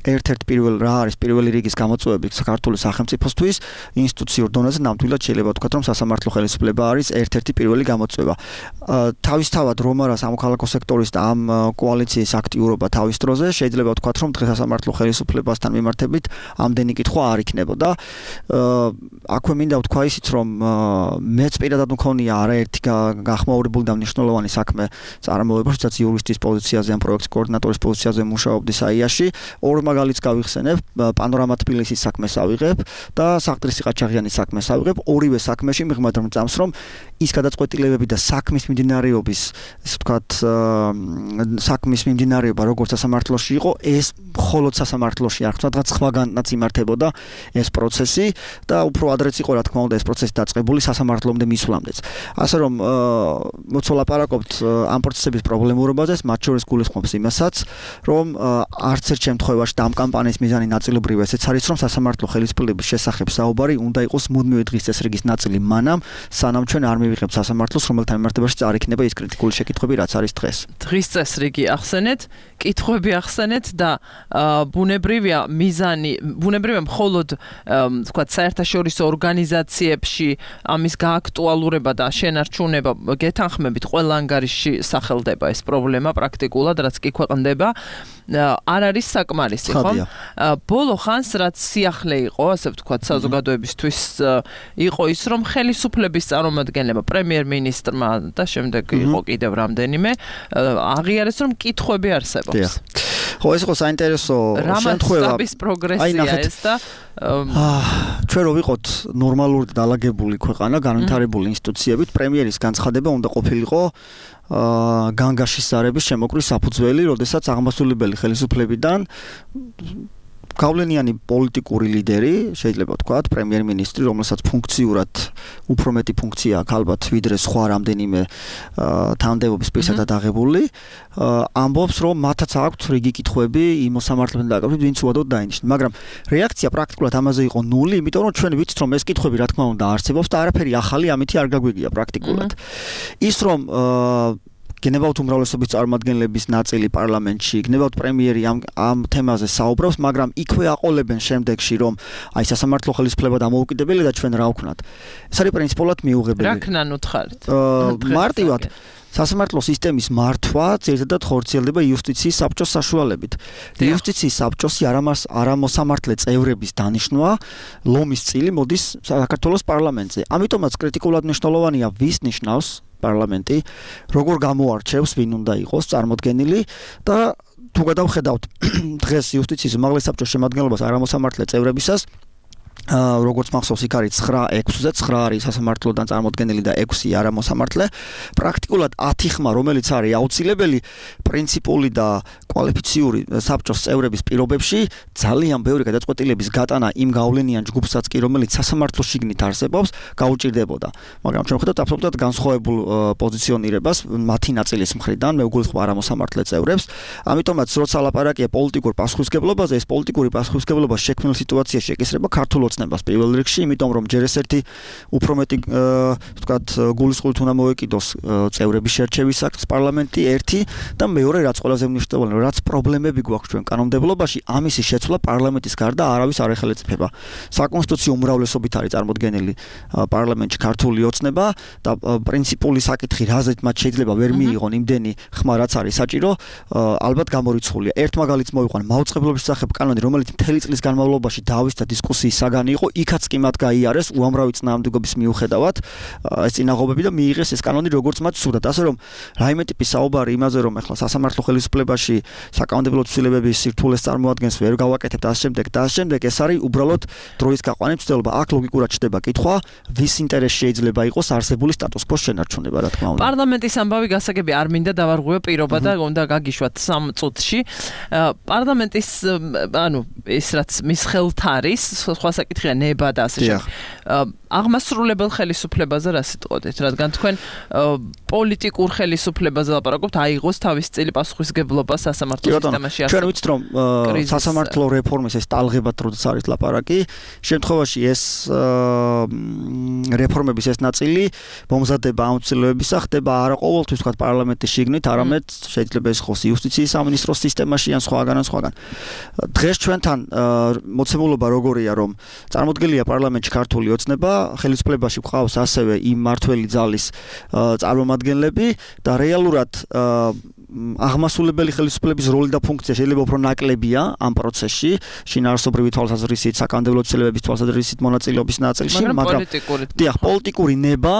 ერთ-ერთ პირველ რა არის პირველი რიგის გამოწვევები საქართველოს სახელმწიფოსთვის ინსტიტუციურ დონეზე ნამდვილად შეიძლება ვთქვათ, რომ სასამართლო ხელისუფლება არის ერთ-ერთი პირველი გამოწვევა. თავისთავად რომ არა სამოქალაქო სექტორის და ამ კოალიციის აქტიურობა თავის დროზე, შეიძლება ვთქვათ, რომ დღეს სასამართლო ხელისუფლებასთან მიმართებით ამდენი კითხვა არ იქნებოდა. აქვე მინდა ვთქვა ისიც, რომ მეც პირადად მქონია არაერთი გახმაურებული და მნიშვნელოვანი საქმე წარმოება, სადაც იურისტის პოზიციაზე ან პროექტის კოორდინატორის პოზიციაზე მუშაობდი საიაში. ორ მაგალითს გავიხსენებ, პანორამა თბილისის საქმეს ავიღებ და საყდრის ყაჩაღიანის საქმეს ავიღებ. ორივე საქმეში მიღმად რომ წამს, რომ ის გადაწყვეტილებები და საქმის მიმდინარეობის, ესე ვთქვათ, საქმის მიმდინარეობა როგორც სასამართლოში იყო, ეს მხოლოდ სასამართლოში არ ხდება, რაღაც სხვაგანაც იმართებოდა ეს პროცესი და უფრო ადრეც იყო, რა თქმა უნდა, ეს პროცესი დაწყებული სასამართლომდე მისვლამდეც. ასე რომ მოცოლაპარაკობთ ამ პროცესების პრობლემურობაზე, მათ შორის გულისხმობს იმასაც, რომ არც ერთ შემთხვევაში და ამ კამპანიის მიზანი ნაწილობრივ ესეც არის, რომ სასამართლო ხელისუფლების შესახებ საუბარი უნდა იყოს მუდმივი დღის წესრიგის ნაწილი მანამ, სანამ ჩვენ არ მივიღებთ სასამართლოს, რომელთან მიმართებაში არ იქნება ის კრიტიკული შეკითხვები, რაც არის დღეს. დღის წესრიგი ახსენეთ, კითხვები ახსენეთ და ბუნებრივია მიზანი, ბუნებრივია მხოლოდ თქვათ საერთაშორისო ორგანიზაციებში ამის გააქტუალურება და შენარჩუნება გეთანხმებით ყველა ანგარიში სახელდება ეს პრობლემა პრაქტიკულად, რაც კი ქვეყნდება, არ არის საკმარისი, ხო? ბოლო ხანს რაც სიახლე იყო, ასე ვთქვათ, საზოგადოებისთვის იყო ის, რომ ხელისუფლების წარმომადგენლებმა, პრემიერ-მინისტრმა და შემდეგ იყო კიდევ რამდენიმე, აღიარეს, რომ კითხვები არსებობს. ხო, ეს იყო საინტერესო შემთხვევა. რამაც პროგრესია ეს და ჩვენ რო ვიყოთ ნორმალური დალაგებული ქვეყანა, განვითარებული ინსტიტუციებით, პრემიერის განცხადება უნდა ყოფილიყო განგაშის ზარების შემოკვრის საფუძველი, როდესაც აღმასრულებელი ხელისუფლებიდან გავლენიანი პოლიტიკური ლიდერი, შეიძლება ვთქვათ, პრემიერ-მინისტრი, რომელსაც ფუნქციურად უფრო მეტი ფუნქცია აქვს ალბათ ვიდრე სხვა რამდენიმე თანამდებობის პირსადად აღებული, ამბობს, რომ მათაც აქვთ რიგი კითხვები იმ მოსამართლებთან დაკავშირებით, ვინც უადოდ დაინიშნა. მაგრამ რეაქცია პრაქტიკულად ამაზე იყო ნული, იმიტომ რომ ჩვენ ვიცით, რომ ეს კითხვები რა თქმა უნდა არსებობს და არაფერი ახალი ამითი არ გაგვიგია პრაქტიკულად. ის რომ გენებავთ უმრავლესობის წარმომადგენლების ნაწილი პარლამენტში, გენებავთ პრემიერი ამ ამ თემაზე საუბრობს, მაგრამ იქვე აყოლებენ შემდეგში, რომ აი სასამართლო ხელისუფლება დამოუკიდებელი და ჩვენ რა ვქნათ. ეს არის პრინციპულად მიუღებელი. რა ქნან უთხარით? მარტივად სასამართლო სისტემის მართვა ძირითადად ხორციელდება იუსტიციის საბჭოს საშუალებით. იუსტიციის საბჭოს არამოსამართლე წევრების დანიშვნა ლომის წილი მოდის საქართველოს პარლამენტზე. ამიტომაც კრიტიკულად მნიშვნელოვანია ვის ნიშნავს პარლამენტი, როგორ გამოარჩევს, ვინ უნდა იყოს წარმოდგენილი და თუ გადავხედავთ დღეს იუსტიციის უმაღლეს საბჭოს შემადგენლობას არამოსამართლე წევრებისას, როგორც მახსოვს იქ არის ცხრა ექვსზე, ცხრა არის სასამართლოდან წარმოდგენილი და ექვსი არამოსამართლე. პრაქტიკულად ათი ხმა, რომელიც არის აუცილებელი პრინციპული და კვალიფიციური საბჭოს წევრების პირობებში, ძალიან ბევრი გადაწყვეტილების გატანა იმ გავლენიან ჯგუფსაც კი, რომელიც სასამართლო შიგნით არსებობს, გაუჭირდებოდა. მაგრამ ჩვენ ვხედავთ აბსოლუტურად განსხვავებულ პოზიციონირებას მათი ნაწილის მხრიდან, მე ვგულისხმობ არამოსამართლე წევრებს. ამიტომაც, როცა ლაპარაკია პოლიტიკურ პასუხისმგებლობაზე, ეს პოლიტიკური პასუხისმგებლობა შექმნილ სიტუაციაში ეკისრება ქართულ ოცნებას პირველ რიგში, იმიტომ რომ ჯერ ეს ერთი უფრო მეტი ვთქვათ გულისხმობით უნდა მოეკიდოს წევრების შერჩევის აქტს პარლამენტი ერთი და მეორე რაც ყველაზე მნიშვნელოვანია, რაც პრობლემები გვაქვს ჩვენ კანონმდებლობაში, ამისი შეცვლა პარლამენტის გარდა არავის არ ეხელეწიფება. საკონსტიტუციო უმრავლესობით არის წარმოდგენილი პარლამენტში ქართული ოცნება და პრინციპული საკითხი, რაზეც მათ შეიძლება ვერ მიიღონ იმდენი ხმა, რაც არის საჭირო, ალბათ გამორიცხულია. ერთ მაგალითს მოვიყვან, მაუწყებლობის შესახებ კანონი, რომელიც მთელი წლის განმავლობაში დავის და დისკუსიის საგანი იყო, იქაც კი მათ გაიარეს უამრავი წინააღმდეგობის მიუხედავად ეს წინაღობები და მიიღეს ეს კანონი როგორც მათ სურდათ. ასე რომ რაიმე ტიპის საუბარი იმაზე, რომ ახლა სასამართლო ხელისუფლებაში საკანონმდებლო ცვლილებების სირთულეს წარმოადგენს, ვერ გავაკეთებთ და ამ შემდეგ და ამ შემდეგ, ეს არის უბრალოდ დროის გაყვანის ცდელობა. აქ ლოგიკურად ჩდება კითხვა, ვის ინტერესში შეიძლება იყოს არსებული სტატუს კვოს შენარჩუნება, რა თქმა უნდა. პარლამენტის ამბავი გასაგები არ მინდა დავარღვიო პირობა და უნდა გაგიშვათ სამ წუთში. პარლამენტის ანუ ეს რაც მის ხელთ არის, სხვა საკითხია ნება და ასე შემდეგ. აღმასრულებელ ხელისუფლებაზე რა სიტყვოდეთ, რადგან თქვენ პოლიტიკურ ხელისუფლებაზე ლაპარაკობთ, აიღოს თავის წილი პასუხისმგებლობა სასამართლო სისტემაში. ჩვენ ვიცით, რომ სასამართლო რეფორმის ეს ტალღებად როდის არის ლაპარაკი, შემთხვევაში ეს რეფორმების ეს ნაწილი მომზადება ამ ცვლილებებისა ხდება არა ყოველთვის ვთქვათ პარლამენტის შიგნით, არამედ შეიძლება ეს იყოს იუსტიციის სამინისტროს სისტემაში ან სხვაგან ან სხვაგან. დღეს ჩვენთან მოცემულობა როგორია, რომ წარმოდგენილია პარლამენტში ქართული ოცნება, ხელისუფლებაში გვყავს ასევე იმ მართველი ძალის წარმომადგენლები და რეალურად აღმასრულებელი ხელისუფლების როლი და ფუნქცია შეიძლება უფრო ნაკლებია ამ პროცესში, შინაარსობრივი თვალსაზრისით, საკანონმდებლო ცვლილებების თვალსაზრისით მონაწილეობის ნაწილში, მაგრამ დიახ, პოლიტიკური ნება,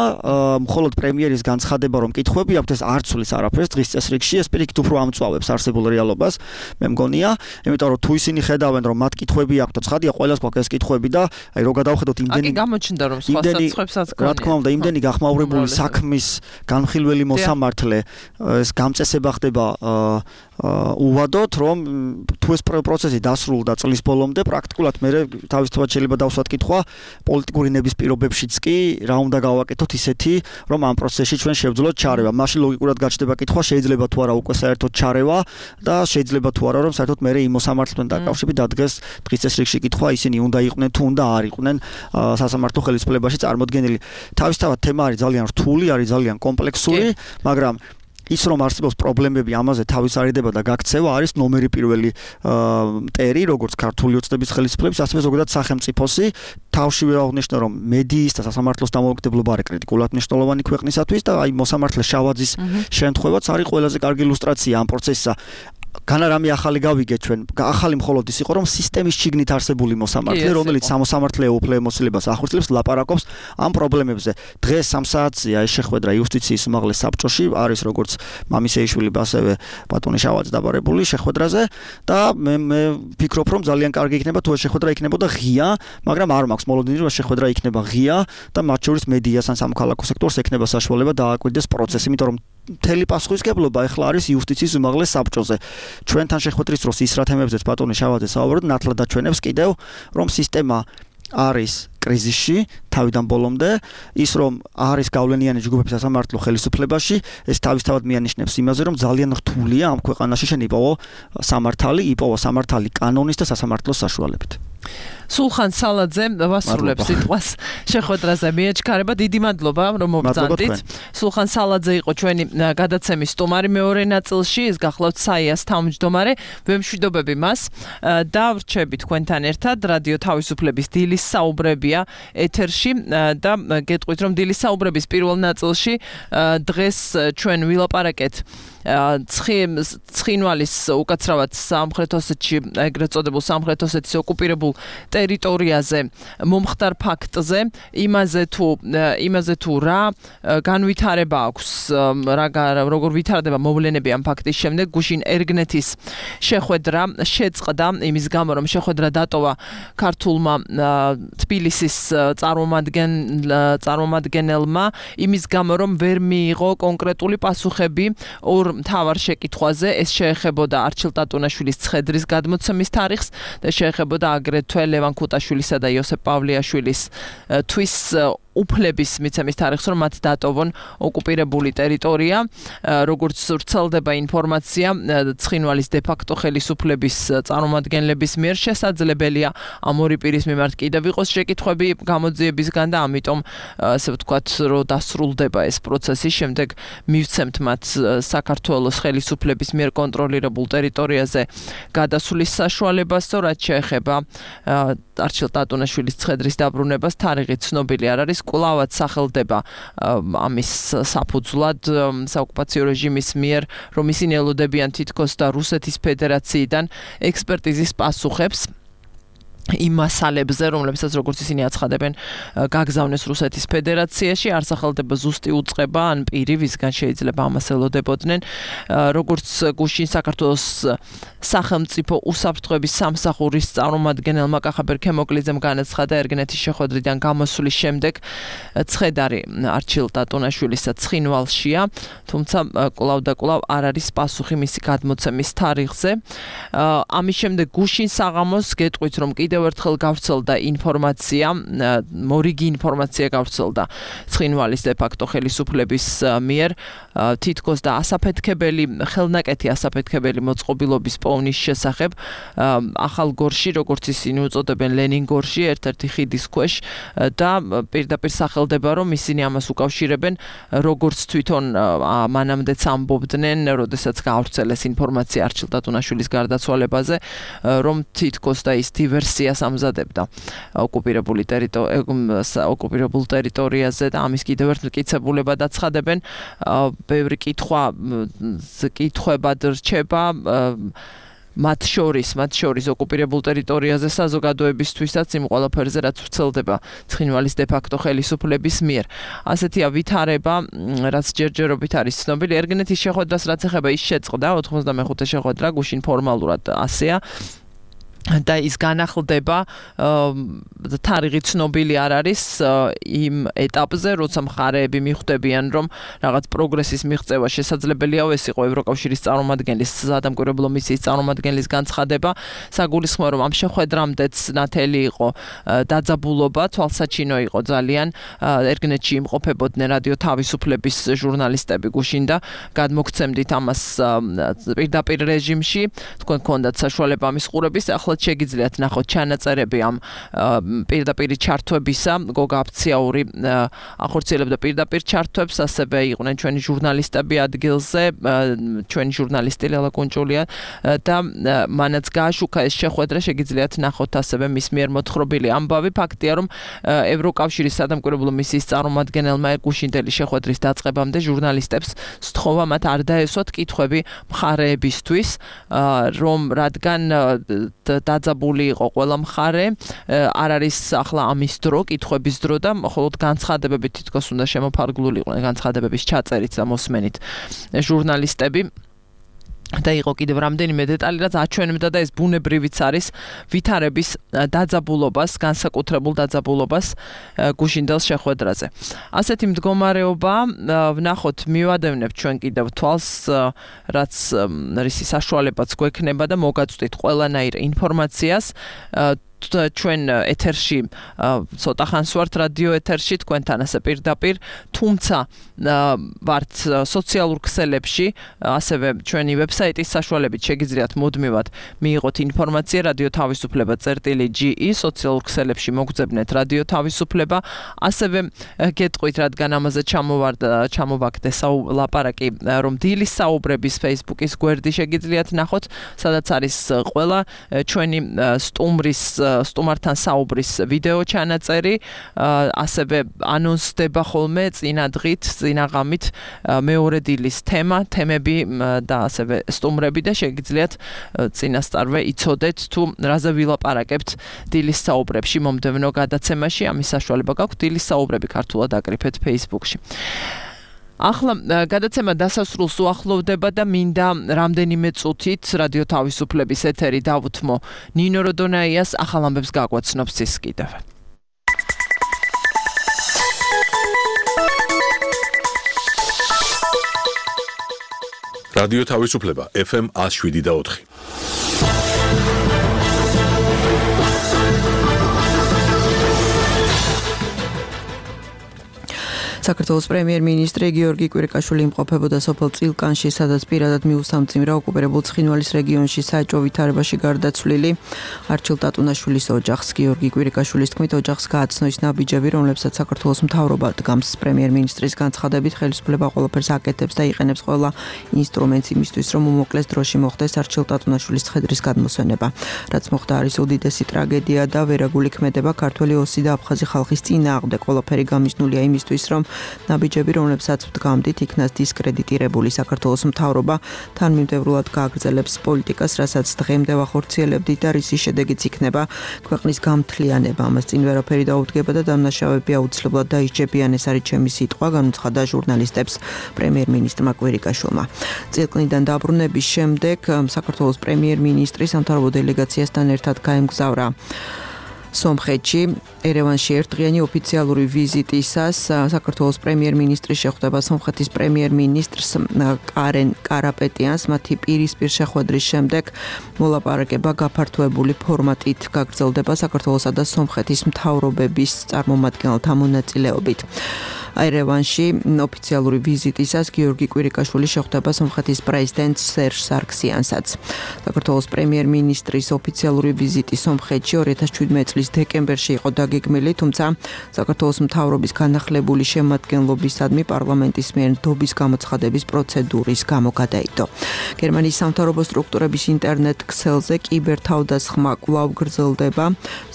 მხოლოდ პრემიერის განცხადება, რომ კითხვები აქვთ, ეს არ ცვლის არაფერს დღის წესრიგში, ეს პირიქით უფრო ამწვავებს არსებულ რეალობას, მე მგონია, იმიტომ რომ თუ ისინი ხედავენ, რომ მათ კითხვები აქვთ, ცხადია, ყველას გვაქვს ეს კითხვები და აი რო გადავხედოთ იმდენი აკი გამოჩნდა რომ სხვა საცხებსაც გქონია. რა თქმა უნდა, იმდენი გახმაურებული საქმის განხილველი მოსამართლე, ეს გამწესება ხდება უვადოთ, რომ თუ ეს პროცესი დასრულდა წლის ბოლომდე, პრაქტიკულად მე თავისთავად შეიძლება დავსვათ კითხვა პოლიტიკური ნების პირობებშიც კი რა უნდა გავაკეთოთ ისეთი, რომ ამ პროცესში ჩვენ შევძლოთ ჩარევა. მაშინ ლოგიკურად გაჩნდება კითხვა, შეიძლება თუ არა უკვე საერთოდ ჩარევა და შეიძლება თუ არა რომ საერთოდ მე იმ მოსამართლეთან დაკავშირებით დადგეს დღის წესრიგში კითხვა, ისინი უნდა იყვნენ თუ უნდა არ იყვნენ სასამართლო ხელისუფლებაში წარმოდგენილი. თავისთავად თემა არის ძალიან რთული, არის ძალიან კომპლექსური, მაგრამ ის რომ არსებობს პრობლემები ამაზე თავის არიდება და გაქცევა არის ნომერი პირველი მტერი, როგორც ქართული ოცნების ხელისუფლების, ასევე ზოგადად სახელმწიფოსი. თავშივე აღნიშნე, რომ მედიის და სასამართლოს დამოუკიდებლობა არის კრიტიკულად მნიშვნელოვანი ქვეყნისათვის და აი მოსამართლე შავაძის შემთხვევაც არის ყველაზე კარგი ილუსტრაცია ამ პროცესისა. განა რამე ახალი გავიგეთ ჩვენ, ახალი მხოლოდ ის იყო, რომ სისტემის შიგნით არსებული მოსამართლე, რომელიც სამოსამართლეო უფლებამოსილებას ახორციელებს, ლაპარაკობს ამ პრობლემებზე. დღეს სამ საათზეა ეს შეხვედრა იუსტიციის უმაღლეს საბჭოში, არის როგორც მამისეიშვილი, ასევე ბატონი შავაძე დაბარებული შეხვედრაზე და მე მე ვფიქრობ, რომ ძალიან კარგი იქნება თუ ეს შეხვედრა იქნებოდა ღია, მაგრამ არ მაქვს მოლოდინი, რომ შეხვედრა იქნება ღია და მათ შორის მედიას ან სამოქალაქო სექტორს ექნება საშუალება დააკვირდეს პროცესი, იმიტომ რომ მთელი პასუხისგებლობა ეხლა არის იუსტიციის უმაღლეს საბჭოზე. ჩვენთან შეხვედრის დროს ის რა თემებზეც ბატონი შავაძე საუბრობთ, ნათლად აჩვენებს კიდევ, რომ სისტემა არის კრიზისში თავიდან ბოლომდე, ის რომ არის გავლენიანი ჯგუფების სასამართლო ხელისუფლებაში, ეს თავისთავად მიანიშნებს იმაზე, რომ ძალიან რთულია ამ ქვეყანაში შენ იპოვო სამართალი, იპოვო სამართალი კანონის და სასამართლოს საშუალებით. სულხან სალაძე ვასრულებს სიტყვას შეხვედრაზე მიეჩქარება. დიდი მადლობა რომ მობრძანდით. სულხან სალაძე იყო ჩვენი გადაცემის სტუმარი მეორე ნაწილში, ეს გახლავთ საიას თავმჯდომარე. ვემშვიდობები მას და ვრჩები თქვენთან ერთად რადიო თავისუფლების დილის საუბრებია ეთერში და გეტყვით რომ დილის საუბრების პირველ ნაწილში დღეს ჩვენ ვილაპარაკეთ ცხინვალის უკაცრავად სამხრეთ ოსეთში ეგრეთ წოდებულ სამხრეთ osეთის ოკუპირებულ ტერიტორიაზე მომხდარ ფაქტზე, იმაზე თუ იმაზე თუ რა განვითარება აქვს, რა როგორ ვითარდება მოვლენები ამ ფაქტის შემდეგ, გუშინ ერგნეთის შეხვედრა შეწყდა იმის გამო რომ შეხვედრა დატოვა ქართულმა თბილისის წარმომადგენელ წარმომადგენელმა იმის გამო რომ ვერ მიიღო კონკრეტული პასუხები ორ მთავარ შეკითხვაზე, ეს შეეხებოდა არჩილ ტატუნაშვილის ცხედრის გადმოცემის თარიღს და შეეხებოდა აგრეთვე ლევან ქუტაშვილისა და იოსებ პავლეაშვილის თვის უფლების მიცემის თარიღს, რომ მათ დატოვონ ოკუპირებული ტერიტორია, როგორც ვრცელდება ინფორმაცია ცხინვალის დე-ფაქტო ხელისუფლების წარმომადგენლების მიერ შესაძლებელია ამ ორი პირის მიმართ კიდევ იყოს შეკითხვები გამოძიებისგან და ამიტომ ასე ვთქვათ, რომ დასრულდება ეს პროცესი, შემდეგ მივცემთ მათ საქართველოს ხელისუფლების მიერ კონტროლირებულ ტერიტორიაზე გადასვლის საშუალებას, რაც შეეხება არჩილ ტატუნაშვილის ცხედრის დაბრუნებას, თარიღი ცნობილი არ არის. კვლავად სახელდება ამის საფუძვლად საოკუპაციო რეჟიმის მიერ, რომ ისინი ელოდებიან თითქოს და რუსეთის ფედერაციიდან ექსპერტიზის პასუხებს იმ მასალებზე, რომლებსაც როგორც ისინი აცხადებენ, გაგზავნეს რუსეთის ფედერაციაში, არ სახელდება ზუსტი უწყება ან პირი, ვისგან შეიძლება ამას ელოდებოდნენ, როგორც გუშინ საქართველოს სახელმწიფო უსაფრთხოების სამსახურის წარმომადგენელმა კახაბერ ქემოკლიძემ განაცხადა ერგნეთის შეხვედრიდან გამოსვლის შემდეგ, ცხედარი არჩილ ტატუნაშვილისა ცხინვალშია, თუმცა კვლავ და კვლავ არ არის პასუხი მისი გადმოცემის თარიღზე. ამის შემდეგ გუშინ საღამოს გეტყვით, რომ კიდევ ერთხელ გავრცელდა ინფორმაცია, მორიგი ინფორმაცია გავრცელდა ცხინვალის დე-ფაქტო ხელისუფლების მიერ, თითქოს და ასაფეთქებელი, ხელნაკეთი ასაფეთქებელი მოწყობილობის პოვნის შესახებ ახალ გორში, როგორც ისინი უწოდებენ ლენინგორში, ერთ-ერთი ხიდის ქვეშ და პირდაპირ სახელდება, რომ ისინი ამას უკავშირებენ, როგორც თვითონ მანამდეც ამბობდნენ, როდესაც გავრცელეს ინფორმაცია არჩილ ტატუნაშვილის გარდაცვალებაზე, რომ თითქოს და ის დივერსიას ამზადებდა ოკუპირებული ოკუპირებულ ტერიტორიაზე და ამის კიდევ ერთ მტკიცებულებად აცხადებენ, ბევრი კითხვა კითხვებად რჩება მათ შორის, მათ შორის ოკუპირებულ ტერიტორიაზე საზოგადოებისთვისაც იმ ყველაფერზე, რაც ვრცელდება ცხინვალის დე-ფაქტო ხელისუფლების მიერ. ასეთია ვითარება, რაც ჯერჯერობით არის ცნობილი. ერგნეთის შეხვედრას რაც ეხება, ის შეწყდა ოთხმოცდამეხუთე შეხვედრა, გუშინ ფორმალურად ასეა. და ის განახლდება თარიღი ცნობილი არ არის იმ ეტაპზე, როცა მხარეები მიხვდებიან, რომ რაღაც პროგრესის მიღწევა შესაძლებელია, ეს იყო ევროკავშირის წარმომადგენლის სადამკვირვებლო მისიის წარმომადგენლის განცხადება. საგულისხმოა, რომ ამ შეხვედრამდეც ნათელი იყო დაძაბულობა, თვალსაჩინო იყო ძალიან. ერგნეთში იმყოფებოდნენ რადიო თავისუფლების ჟურნალისტები გუშინ და გადმოგცემდით ამას პირდაპირ რეჟიმში, თქვენ გქონდათ საშუალება ამის ყურების, ახლა შეგიძლიათ ნახოთ ჩანაწერები ამ პირდაპირი ჩართვებისა, გოგა აფციაური ახორციელებდა პირდაპირ ჩართვებს, ასევე იყვნენ ჩვენი ჟურნალისტები ადგილზე, ჩვენი ჟურნალისტი ლელა კუნჭულია და მანაც გააშუქა ეს შეხვედრა, შეგიძლიათ ნახოთ ასევე მის მიერ მოთხრობილი ამბავი. ფაქტია, რომ ევროკავშირის სადამკვირვებლო მისიის წარმომადგენელმა გუშინდელი შეხვედრის დაწყებამდე ჟურნალისტებს სთხოვა მათ არ დაესვათ კითხვები მხარეებისთვის, რომ რადგან დაძაბული იყო ყველა მხარე, არ არის ახლა ამის დრო, კითხვების დრო და მხოლოდ განცხადებები თითქოს უნდა შემოფარგლულიყვნენ, განცხადებების ჩაწერით და მოსმენით ჟურნალისტები. და იყო კიდევ რამდენიმე დეტალი, რაც აჩვენებდა და ეს ბუნებრივიც არის ვითარების დაძაბულობას, განსაკუთრებულ დაძაბულობას გუშინდელს შეხვედრაზე. ასეთი მდგომარეობა ვნახოთ, მივადევნებთ ჩვენ კიდევ თვალს, რაც რისი საშუალებაც გვექნება და მოგაწვდით ყველანაირ ინფორმაციას. ჩვენ ეთერში ცოტა ხანს ვართ რადიო ეთერში თქვენთან ასე პირდაპირ, თუმცა ვართ სოციალურ ქსელებში, ასევე ჩვენი ვებსაიტის საშუალებით შეგიძლიათ მუდმივად მიიღოთ ინფორმაცია რადიო თავისუფლება წერტილი ჯი ი, სოციალურ ქსელებში მოგძებნეთ რადიო თავისუფლება, ასევე გეტყვით, რადგან ამაზე ჩამოვარდა ჩამოვაგდე ლაპარაკი, რომ დილის საუბრების Facebook-ის გვერდი შეგიძლიათ ნახოთ, სადაც არის ყველა ჩვენი სტუმრის სტუმართან საუბრის ვიდეო ჩანაწერი, ასევე ანონსდება ხოლმე წინა დღით, წინა ღამით მეორე დილის თემა, თემები და ასევე სტუმრები და შეგიძლიათ წინასწარვე იცოდეთ თუ რაზე ვილაპარაკებთ დილის საუბრებში მომდევნო გადაცემაში. ამის საშუალება გაქვთ დილის საუბრები ქართულად აკრიფეთ Facebook-ში. ახლა გადაცემა დასასრულს უახლოვდება და მინდა რამდენიმე წუთით რადიო თავისუფლების ეთერი დავუთმო ნინო როდონაიას ახალ ამბებს გაგვაცნობს ის კიდევ. რადიო თავისუფლება ეფ ემ one oh seven point four. საქართველოს პრემიერ-მინისტრი გიორგი კვირიკაშვილი იმყოფებოდა სოფელ წილკანში, სადაც პირადად მიუსამძიმრა ოკუპირებულ ცხინვალის რეგიონში საეჭვო ვითარებაში გარდაცვლილი არჩილ ტატუნაშვილის ოჯახს. გიორგი კვირიკაშვილის თქმით, ოჯახს გააცნო ის ნაბიჯები, რომლებსაც საქართველოს მთავრობა დგამს. პრემიერ-მინისტრის განცხადებით, ხელისუფლება ყველაფერს აკეთებს და იყენებს ყველა ინსტრუმენტს იმისთვის, რომ უმოკლეს დროში მოხდეს არჩილ ტატუნაშვილის ცხედრის გადმოსვენება. რაც მოხდა არის უდიდესი ტრაგედია და ვერაგული ქმედება ქართველი ოსი და აფხაზი ხალხის წინააღმდეგ. ყველაფერი გამიზნულია იმისთვის, რომ ნაბიჯები, რომლებსაც ვდგამდით, იქნას დისკრედიტირებული. საქართველოს მთავრობა თანმიმდევრულად გააგრძელებს პოლიტიკას, რასაც დღემდე ვახორციელებდით და რისი შედეგიც იქნება ქვეყნის გამთლიანება. ამას წინ ვერაფერი დაუდგება და დამნაშავეები აუცილებლად დაიჭებიან, ეს არის ჩემი სიტყვა, განუცხადა ჟურნალისტებს პრემიერ-მინისტრმა კვირიკაშვილმა. წილკნიდან დაბრუნების შემდეგ საქართველოს პრემიერ-მინისტრი სამთავრობო დელეგაციასთან ერთად გაემგზავრა სომხეთში, ერევანში ერთდღიანი ოფიციალური ვიზიტისას საქართველოს პრემიერ-მინისტრი შეხვდება სომხეთის პრემიერ-მინისტრს კარენ კარაპეტიანს. მათი პირისპირ შეხვედრის შემდეგ მოლაპარაკება გაფართოებული ფორმატით გაგრძელდება საქართველოსა და სომხეთის მთავრობების წარმომადგენელთა მონაწილეობით. ერევანში ოფიციალური ვიზიტისას გიორგი კვირიკაშვილი შეხვდება სომხეთის პრეზიდენტ სერჟ სარქსიანსაც. საქართველოს პრემიერ-მინისტრის ოფიციალური ვიზიტი სომხეთში ორი ათას შვიდმეტი წლის დეკემბერში იყო დაგეგმილი, თუმცა საქართველოს მთავრობის განახლებული შემადგენლობისადმი პარლამენტის მიერ ნდობის გამოცხადების პროცედურის გამო გადაიდო. გერმანიის სამთავრობო სტრუქტურების ინტერნეტ ქსელზე კიბერთავდასხმა კვლავ გრძელდება.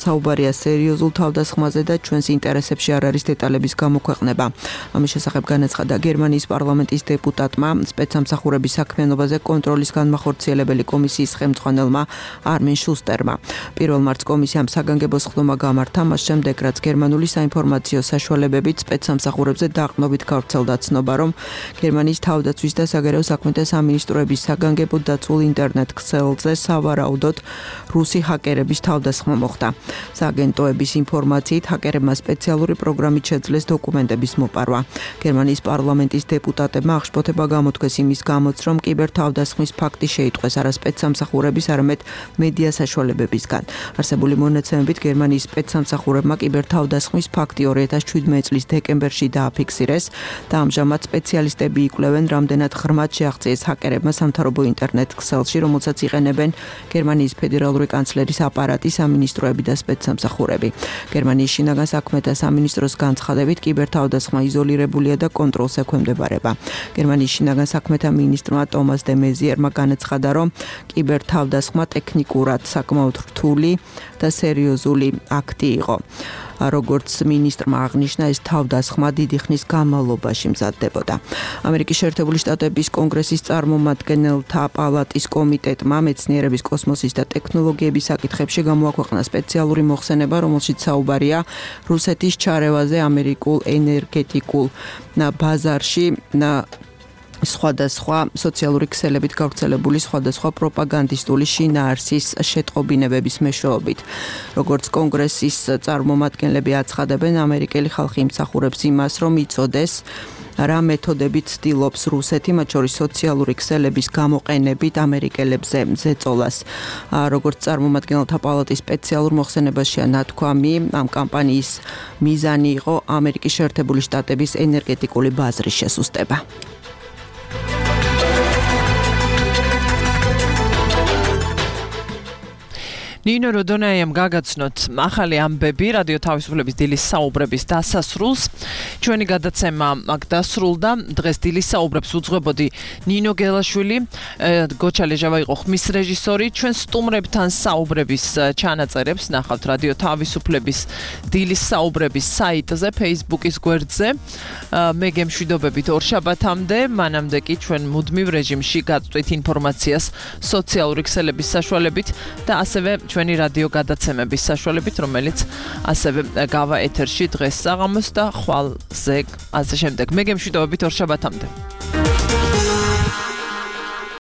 საუბარია სერიოზულ თავდასხმაზე და ჩვენს ინტერესებში არ არის დეტალების გამოქვეყნება. ამის შესახებ განაცხადა გერმანიის პარლამენტის დეპუტატმა სპეცსამსახურების საქმიანობაზე კონტროლის განმახორციელებელი კომისიის ხელმძღვანელმა არმენ შუსტერმა. პირველ მარტს კომისიამ საგანგებო სხდომა გამართა, მას შემდეგ რაც გერმანული საინფორმაციო საშუალებებით სპეცსამსახურებზე დაყრდნობით გავრცელდა ცნობა, რომ გერმანიის თავდაცვის და საგარეო საქმეთა სამინისტროების საგანგებო დაცულ ინტერნეტ ქსელზე სავარაუდოდ რუსი ჰაკერების თავდასხმა მოხდა. სააგენტოების ინფორმაციით ჰაკერებმა სპეციალური პროგრამით შეძლეს დოკუმენტების მოპარვა. გერმანიის პარლამენტის დეპუტატებმა აღშფოთება გამოთქვეს იმის გამოც, რომ კიბერთავდასხმის ფაქტი შეიტყვეს არა სპეცსამსახურების, არამედ მედია საშუალებებისგან. არსებული მონაცემებით გერმანიის სპეცსამსახურებმა კიბერთავდასხმის ფაქტი ორი ათას შვიდმეტი წლის დეკემბერში დააფიქსირეს და ამჟამად სპეციალისტები იკვლევენ, რამდენად ღრმად შეაღწიეს ჰაკერებმა სამთავრობო ინტერნეტ ქსელში, რომელსაც იყენებენ გერმანიის ფედერალური კანცლერის აპარატი, სამინისტროები და სპეცსამსახურები. გერმანიის შინაგან საქმეთა სამინისტროს განცხადებით კიბერთავდასხმა იზოლირებულია და კონტროლს ექვემდებარება. გერმანიის შინაგან საქმეთა მინისტრმა ტომას დე მეზიერმა განაცხადა, რომ კიბერთავდასხმა ტექნიკურად საკმაოდ რთული და სერიოზული აქტი იყო. როგორც მინისტრმა აღნიშნა, ეს თავდასხმა დიდი ხნის განმავლობაში მზადდებოდა. ამერიკის შეერთებული შტატების კონგრესის წარმომადგენელთა პალატის კომიტეტმა მეცნიერების, კოსმოსის და ტექნოლოგიების საკითხებში გამოაქვეყნა სპეციალური მოხსენება, რომელშიც საუბარია რუსეთის ჩარევაზე ამერიკულ ენერგეტიკულ ბაზარში. სხვადასხვა სოციალური ქსელებით გავრცელებული სხვადასხვა პროპაგანდისტული შინაარსის შეტყობინებების მეშვეობით. როგორც კონგრესის წარმომადგენლები აცხადებენ, ამერიკელი ხალხი იმსახურებს იმას, რომ იცოდეს რა მეთოდებით ცდილობს რუსეთი, მათ შორის სოციალური ქსელების გამოყენებით ამერიკელებზე ზეწოლას. როგორც წარმომადგენელთა პალატის სპეციალურ მოხსენებაშია ნათქვამი, ამ კამპანიის მიზანი იყო ამერიკის შეერთებული შტატების ენერგეტიკული ბაზრის შესუსტება. ნინო როდონაიამ გაგაცნოთ ახალი ამბები რადიო თავისუფლების დილის საუბრების დასასრულს. ჩვენი გადაცემა აქ დასრულდა. დღეს დილის საუბრებს უძღვებოდი ნინო გელაშვილი, გოჩა ლეჟავა იყო ხმის რეჟისორი. ჩვენ სტუმრებთან საუბრების ჩანაწერებს ნახავთ რადიო თავისუფლების დილის საუბრების საიტზე, Facebook-ის გვერდზე. მე გემშვიდობებით ორშაბათამდე, მანამდე კი ჩვენ მუდმივ რეჟიმში გაწვით ინფორმაციას სოციალური ქსელების საშუალებით და ასევე ჩვენი რადიო გადაცემების საშუალებით, რომელიც ასევე გავა ეთერში დღეს საღამოს და ხვალზე ასე შემდეგ. მე გემშვიდობებით ორშაბათამდე.